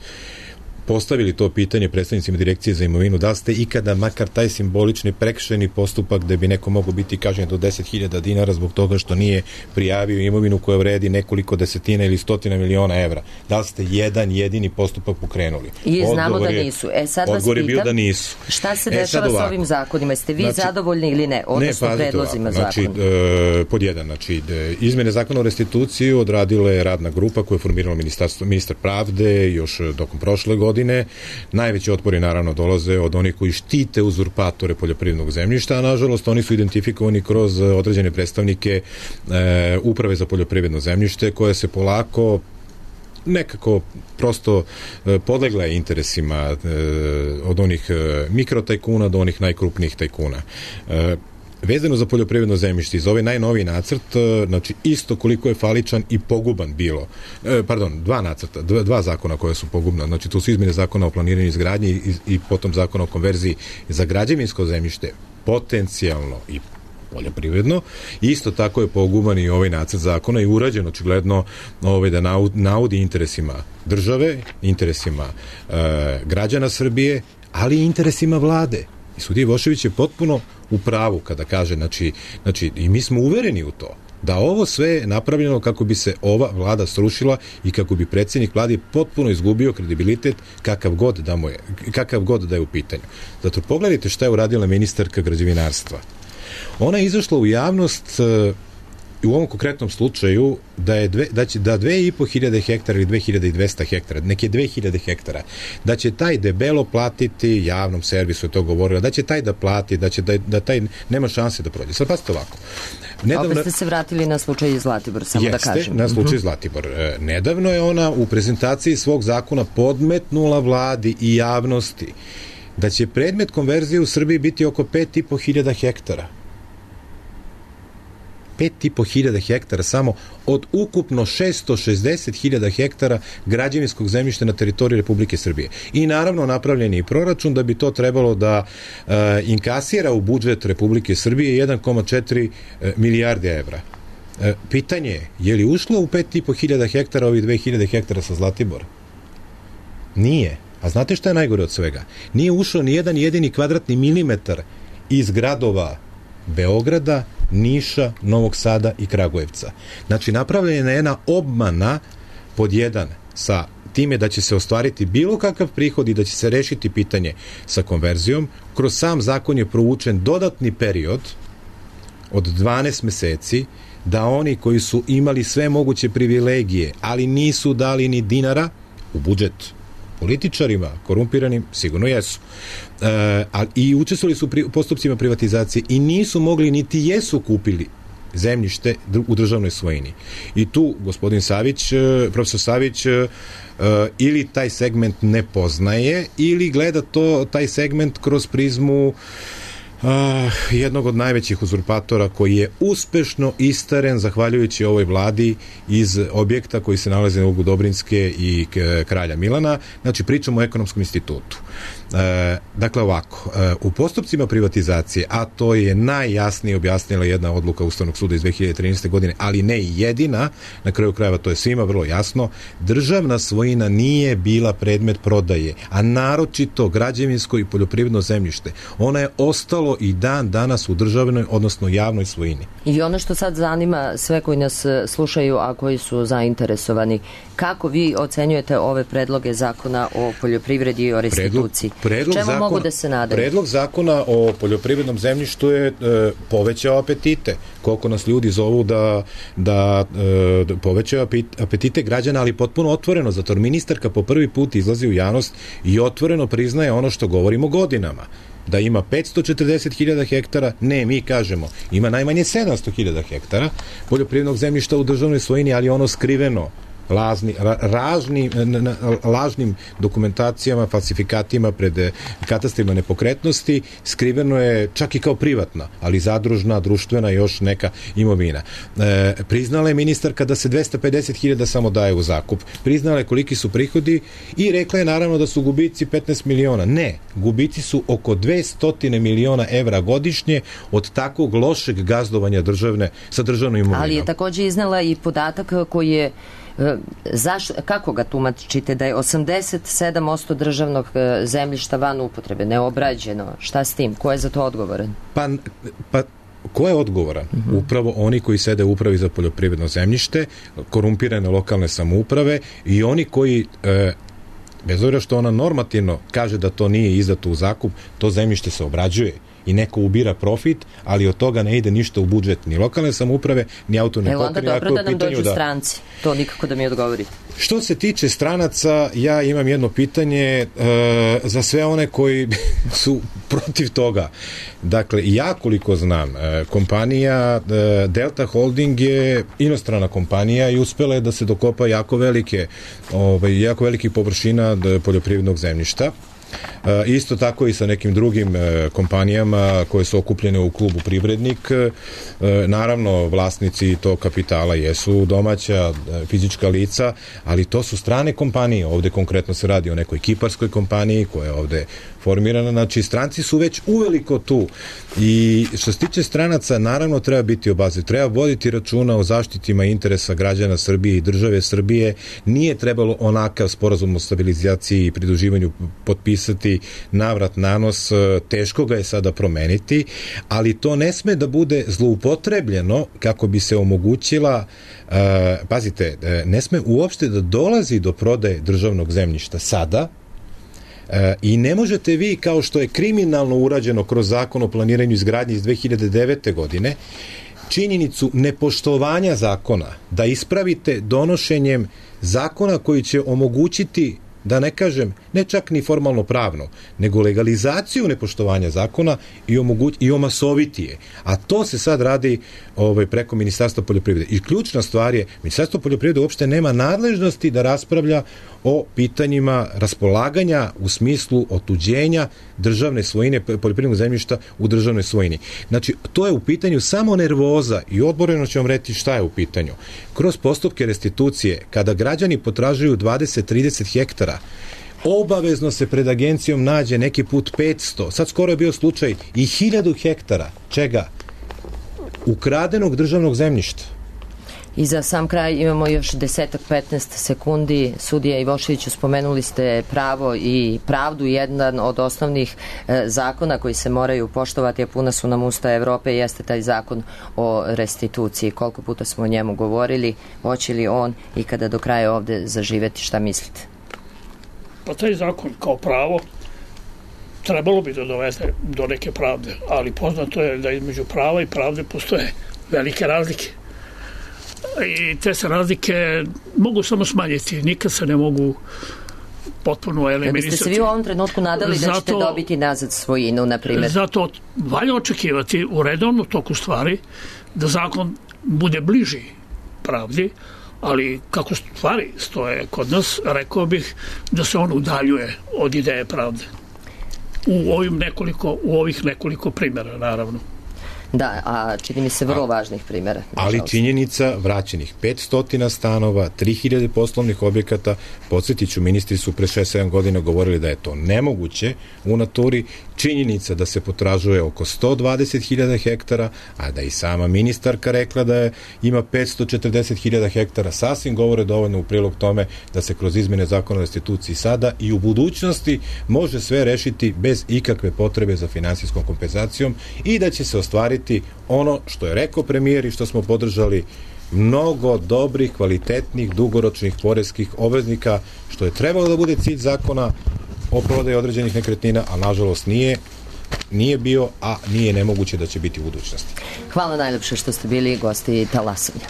Speaker 5: postavili to pitanje predstavnicima Direkcije za imovinu, da li ste ikada makar taj simbolični prekršajni postupak da bi neko mogao biti kažnjen do deset hiljada dinara zbog toga što nije prijavio imovinu koja vredi nekoliko desetina ili stotina miliona evra. Da li ste jedan jedini postupak pokrenuli?
Speaker 2: I znamo
Speaker 5: odgovor
Speaker 2: da
Speaker 5: je,
Speaker 2: nisu. E sad vas
Speaker 5: odgovor je bio
Speaker 2: pitam,
Speaker 5: da nisu.
Speaker 2: Šta se
Speaker 5: e,
Speaker 2: dešava s ovim zakonima? Jeste vi
Speaker 5: znači,
Speaker 2: zadovoljni ili ne? Odnosno
Speaker 5: ne,
Speaker 2: predlozima
Speaker 5: ovako,
Speaker 2: zakona?
Speaker 5: znači, e, pod jedan, znači, de, izmene zakona o restituciji odradila je radna grupa koja je formirala ministarstvo, ministar pravde još tokom prošle godine. Najveći otpori naravno dolaze od onih koji štite uzurpatore poljoprivrednog zemljišta, a nažalost oni su identifikovani kroz određene predstavnike e, uprave za poljoprivredno zemljište koje se polako nekako prosto e, podlegla je interesima e, od onih e, mikrotajkuna do onih najkrupnijih tajkuna. E, Vezano za poljoprivredno zemljište, iz ovaj najnoviji nacrt, znači isto koliko je faličan i poguban bilo, e, pardon, dva nacrta, dva, dva zakona koja su pogubna, znači tu su izmene zakona o planiranju izgradnji i, i potom zakona o konverziji za građevinsko zemljište, potencijalno i poljoprivredno, isto tako je poguban i ovaj nacrt zakona i urađen očigledno ovaj, da naudi interesima države, interesima e, građana Srbije, ali i interesima vlade. I sudija Ivošević je potpuno u pravu kada kaže, znači, znači i mi smo uvereni u to, da ovo sve je napravljeno kako bi se ova vlada srušila i kako bi predsjednik vlade potpuno izgubio kredibilitet kakav god da mu je, kakav god da je u pitanju. Zato pogledajte šta je uradila ministarka građevinarstva. Ona je izašla u javnost i u ovom konkretnom slučaju da je dve, da će da dve i po hiljade hektara ili dve hiljade dvesta hektara, neke dve hiljade hektara, da će taj debelo platiti javnom servisu, je to govorila, da će taj da plati, da će da, da taj nema šanse da prođe. Sad pazite ovako.
Speaker 2: Nedavno, opet ste se vratili na slučaj Zlatibor, samo
Speaker 5: jeste,
Speaker 2: da kažem.
Speaker 5: na slučaj Zlatibor. E, nedavno je ona u prezentaciji svog zakona podmetnula vladi i javnosti da će predmet konverzije u Srbiji biti oko pet i po hiljada hektara. pet i po hiljada hektara samo od ukupno šesto šezdeset hiljada hektara građevinskog zemljišta na teritoriji Republike Srbije. I naravno napravljen je i proračun da bi to trebalo da uh, inkasira u budžet Republike Srbije jedan zarez četiri milijarde evra. Uh, pitanje je, je li ušlo u pet i po hiljada hektara ovih dve hiljade hektara sa Zlatibora? Nije. A znate šta je najgore od svega? Nije ušao ni jedan jedini kvadratni milimetar iz gradova Beograda, Niša, Novog Sada i Kragujevca. Znači, napravljena je jedna obmana pod jedan sa time da će se ostvariti bilo kakav prihod i da će se rešiti pitanje sa konverzijom. Kroz sam zakon je provučen dodatni period od dvanaest meseci da oni koji su imali sve moguće privilegije, ali nisu dali ni dinara u budžet političarima, korumpiranim, sigurno jesu. E, a, i učestvovali su pri, postupcima privatizacije i nisu mogli, niti jesu kupili zemljište u državnoj svojini. I tu gospodin Savić, profesor Savić, e, ili taj segment ne poznaje, ili gleda to, taj segment kroz prizmu Uh, jednog od najvećih uzurpatora koji je uspešno istaren zahvaljujući ovoj vladi iz objekta koji se nalazi na ugu Dobrinske i Kralja Milana. Znači, pričamo o Ekonomskom institutu. Uh, dakle, ovako, uh, u postupcima privatizacije, a to je najjasnije objasnila jedna odluka Ustavnog suda iz dve hiljade trinaeste. godine, ali ne i jedina, na kraju krajeva to je svima vrlo jasno, državna svojina nije bila predmet prodaje, a naročito građevinsko i poljoprivredno zemljište. Ona je ostalo i dan danas u državnoj, odnosno javnoj svojini.
Speaker 2: I ono što sad zanima sve koji nas slušaju, a koji su zainteresovani, kako vi ocenjujete ove predloge zakona o poljoprivredi i o restituciji?
Speaker 5: Predlog, predlog
Speaker 2: Čemu
Speaker 5: zakona,
Speaker 2: mogu da se nadaju?
Speaker 5: Predlog zakona o poljoprivrednom zemljištu je e, povećao apetite. Koliko nas ljudi zovu da, da e, povećao apetite građana, ali potpuno otvoreno. Zato ministarka po prvi put izlazi u javnost i otvoreno priznaje ono što govorimo godinama. Da ima petsto četrdeset hiljada hektara, ne, mi kažemo, ima najmanje sedamsto hiljada hektara poljoprivrednog zemljišta u državnoj svojini, ali ono skriveno lažni, ražni, lažnim dokumentacijama, falsifikatima pred katastrima nepokretnosti, skriveno je čak i kao privatna, ali zadružna, društvena i još neka imovina. E, priznala je ministarka da se dvesta pedeset hiljada samo daje u zakup. Priznala je koliki su prihodi i rekla je naravno da su gubici petnaest miliona. Ne, gubici su oko dvesta miliona evra godišnje od takvog lošeg gazdovanja državne, sa državnom imovinom.
Speaker 2: Ali je takođe iznala i podatak koji je Zaš, kako ga tumačite da je osamdeset sedam posto državnog zemljišta van upotrebe, neobrađeno? Šta s tim? Ko je za to odgovoran?
Speaker 5: Pa, pa ko je odgovoran? Uh-huh. Upravo oni koji sede u upravi za poljoprivredno zemljište, korumpirane lokalne samouprave i oni koji, e, bez obzira što ona normativno kaže da to nije izdato u zakup, to zemljište se obrađuje i neko ubira profit, ali od toga ne ide ništa u budžet ni lokalne samouprave, ni autonomne pokrajine.
Speaker 2: Evo onda dobro da nam dođu da... stranci. To nikako da mi odgovorite.
Speaker 5: Što se tiče stranaca, ja imam jedno pitanje e, za sve one koji su protiv toga. Dakle, ja koliko znam, e, kompanija e, Delta Holding je inostrana kompanija i uspela je da se dokopa jako velike, ovaj, jako velikih površina poljoprivrednog zemljišta. E, isto tako i sa nekim drugim e, kompanijama koje su okupljene u klubu Privrednik. E, naravno, vlasnici tog kapitala jesu domaća e, fizička lica, ali to su strane kompanije. Ovde konkretno se radi o nekoj kiparskoj kompaniji koja je ovde formirana. Znači, stranci su već uveliko tu. I što se tiče stranaca, naravno treba biti obazriv. Treba voditi računa o zaštitima interesa građana Srbije i države Srbije. Nije trebalo onakav sporazum o stabilizaciji i pridruživanju potpisati navrat nanos. Teško ga je sada promeniti, ali to ne sme da bude zloupotrebljeno kako bi se omogućila, uh, pazite, ne sme uopšte da dolazi do prodaje državnog zemljišta sada. E, i ne možete vi, kao što je kriminalno urađeno kroz zakon o planiranju i izgradnji iz dve hiljade devete godine, činjenicu nepoštovanja zakona da ispravite donošenjem zakona koji će omogućiti, da ne kažem, ne čak ni formalno pravno, nego legalizaciju nepoštovanja zakona i, omoguć, i omasoviti je. A to se sad radi ovaj, preko Ministarstva poljoprivrede. I ključna stvar je, Ministarstvo poljoprivrede uopšte nema nadležnosti da raspravlja o pitanjima raspolaganja u smislu otuđenja državne svojine, poljoprivrednog zemljišta u državnoj svojini. Znači, to je u pitanju samo nervoza i odboreno ću vam reći šta je u pitanju. Kroz postupke restitucije, kada građani potražuju dvadeset do trideset hektara, obavezno se pred agencijom nađe neki put petsto, sad skoro je bio slučaj i hiljadu hektara, čega? Ukradenog državnog zemljišta.
Speaker 2: I za sam kraj imamo još desetak petnaest sekundi. Sudija Ivoševiću, spomenuli ste pravo i pravdu, jedan od osnovnih e, zakona koji se moraju poštovati, a puna su nam usta Evrope, jeste taj zakon o restituciji. Koliko puta smo o njemu govorili, hoće li on i kada do kraja ovde zaživeti, šta mislite?
Speaker 6: Pa taj zakon kao pravo trebalo bi da dovede do neke pravde, ali poznato je da između prava i pravde postoje velike razlike. I te se razlike mogu samo smanjiti, nikad se ne mogu potpuno eliminisati.
Speaker 2: Da biste se vi u ovom trenutku nadali da ćete dobiti nazad svojinu, na primjer?
Speaker 6: Zato valja očekivati u redovnom toku stvari da zakon bude bliži pravdi, ali kako stvari stoje kod nas, rekao bih da se on udaljuje od ideje pravde. U ovim nekoliko, u ovih nekoliko primjera, naravno.
Speaker 2: Da, a čini mi se vrlo važnih primjera.
Speaker 5: Ali činjenica vraćenih petsto stanova, tri hiljade poslovnih objekata, podsjetit ću, ministri su pre šest sedam godina govorili da je to nemoguće u naturi, činjenica da se potražuje oko sto dvadeset hiljada hektara, a da i sama ministarka rekla da je, ima petsto četrdeset hiljada hektara, sasvim govore dovoljno u prilog tome da se kroz izmene zakona o restituciji sada i u budućnosti može sve rešiti bez ikakve potrebe za finansijskom kompenzacijom i da će se ostvariti ono što je rekao premijer i što smo podržali, mnogo dobrih, kvalitetnih, dugoročnih poreskih obveznika, što je trebalo da bude cilj zakona o prodaji određenih nekretnina, a nažalost nije, nije bio, a nije nemoguće da će biti u budućnosti.
Speaker 2: Hvala najlepše što ste bili gosti Talasanja.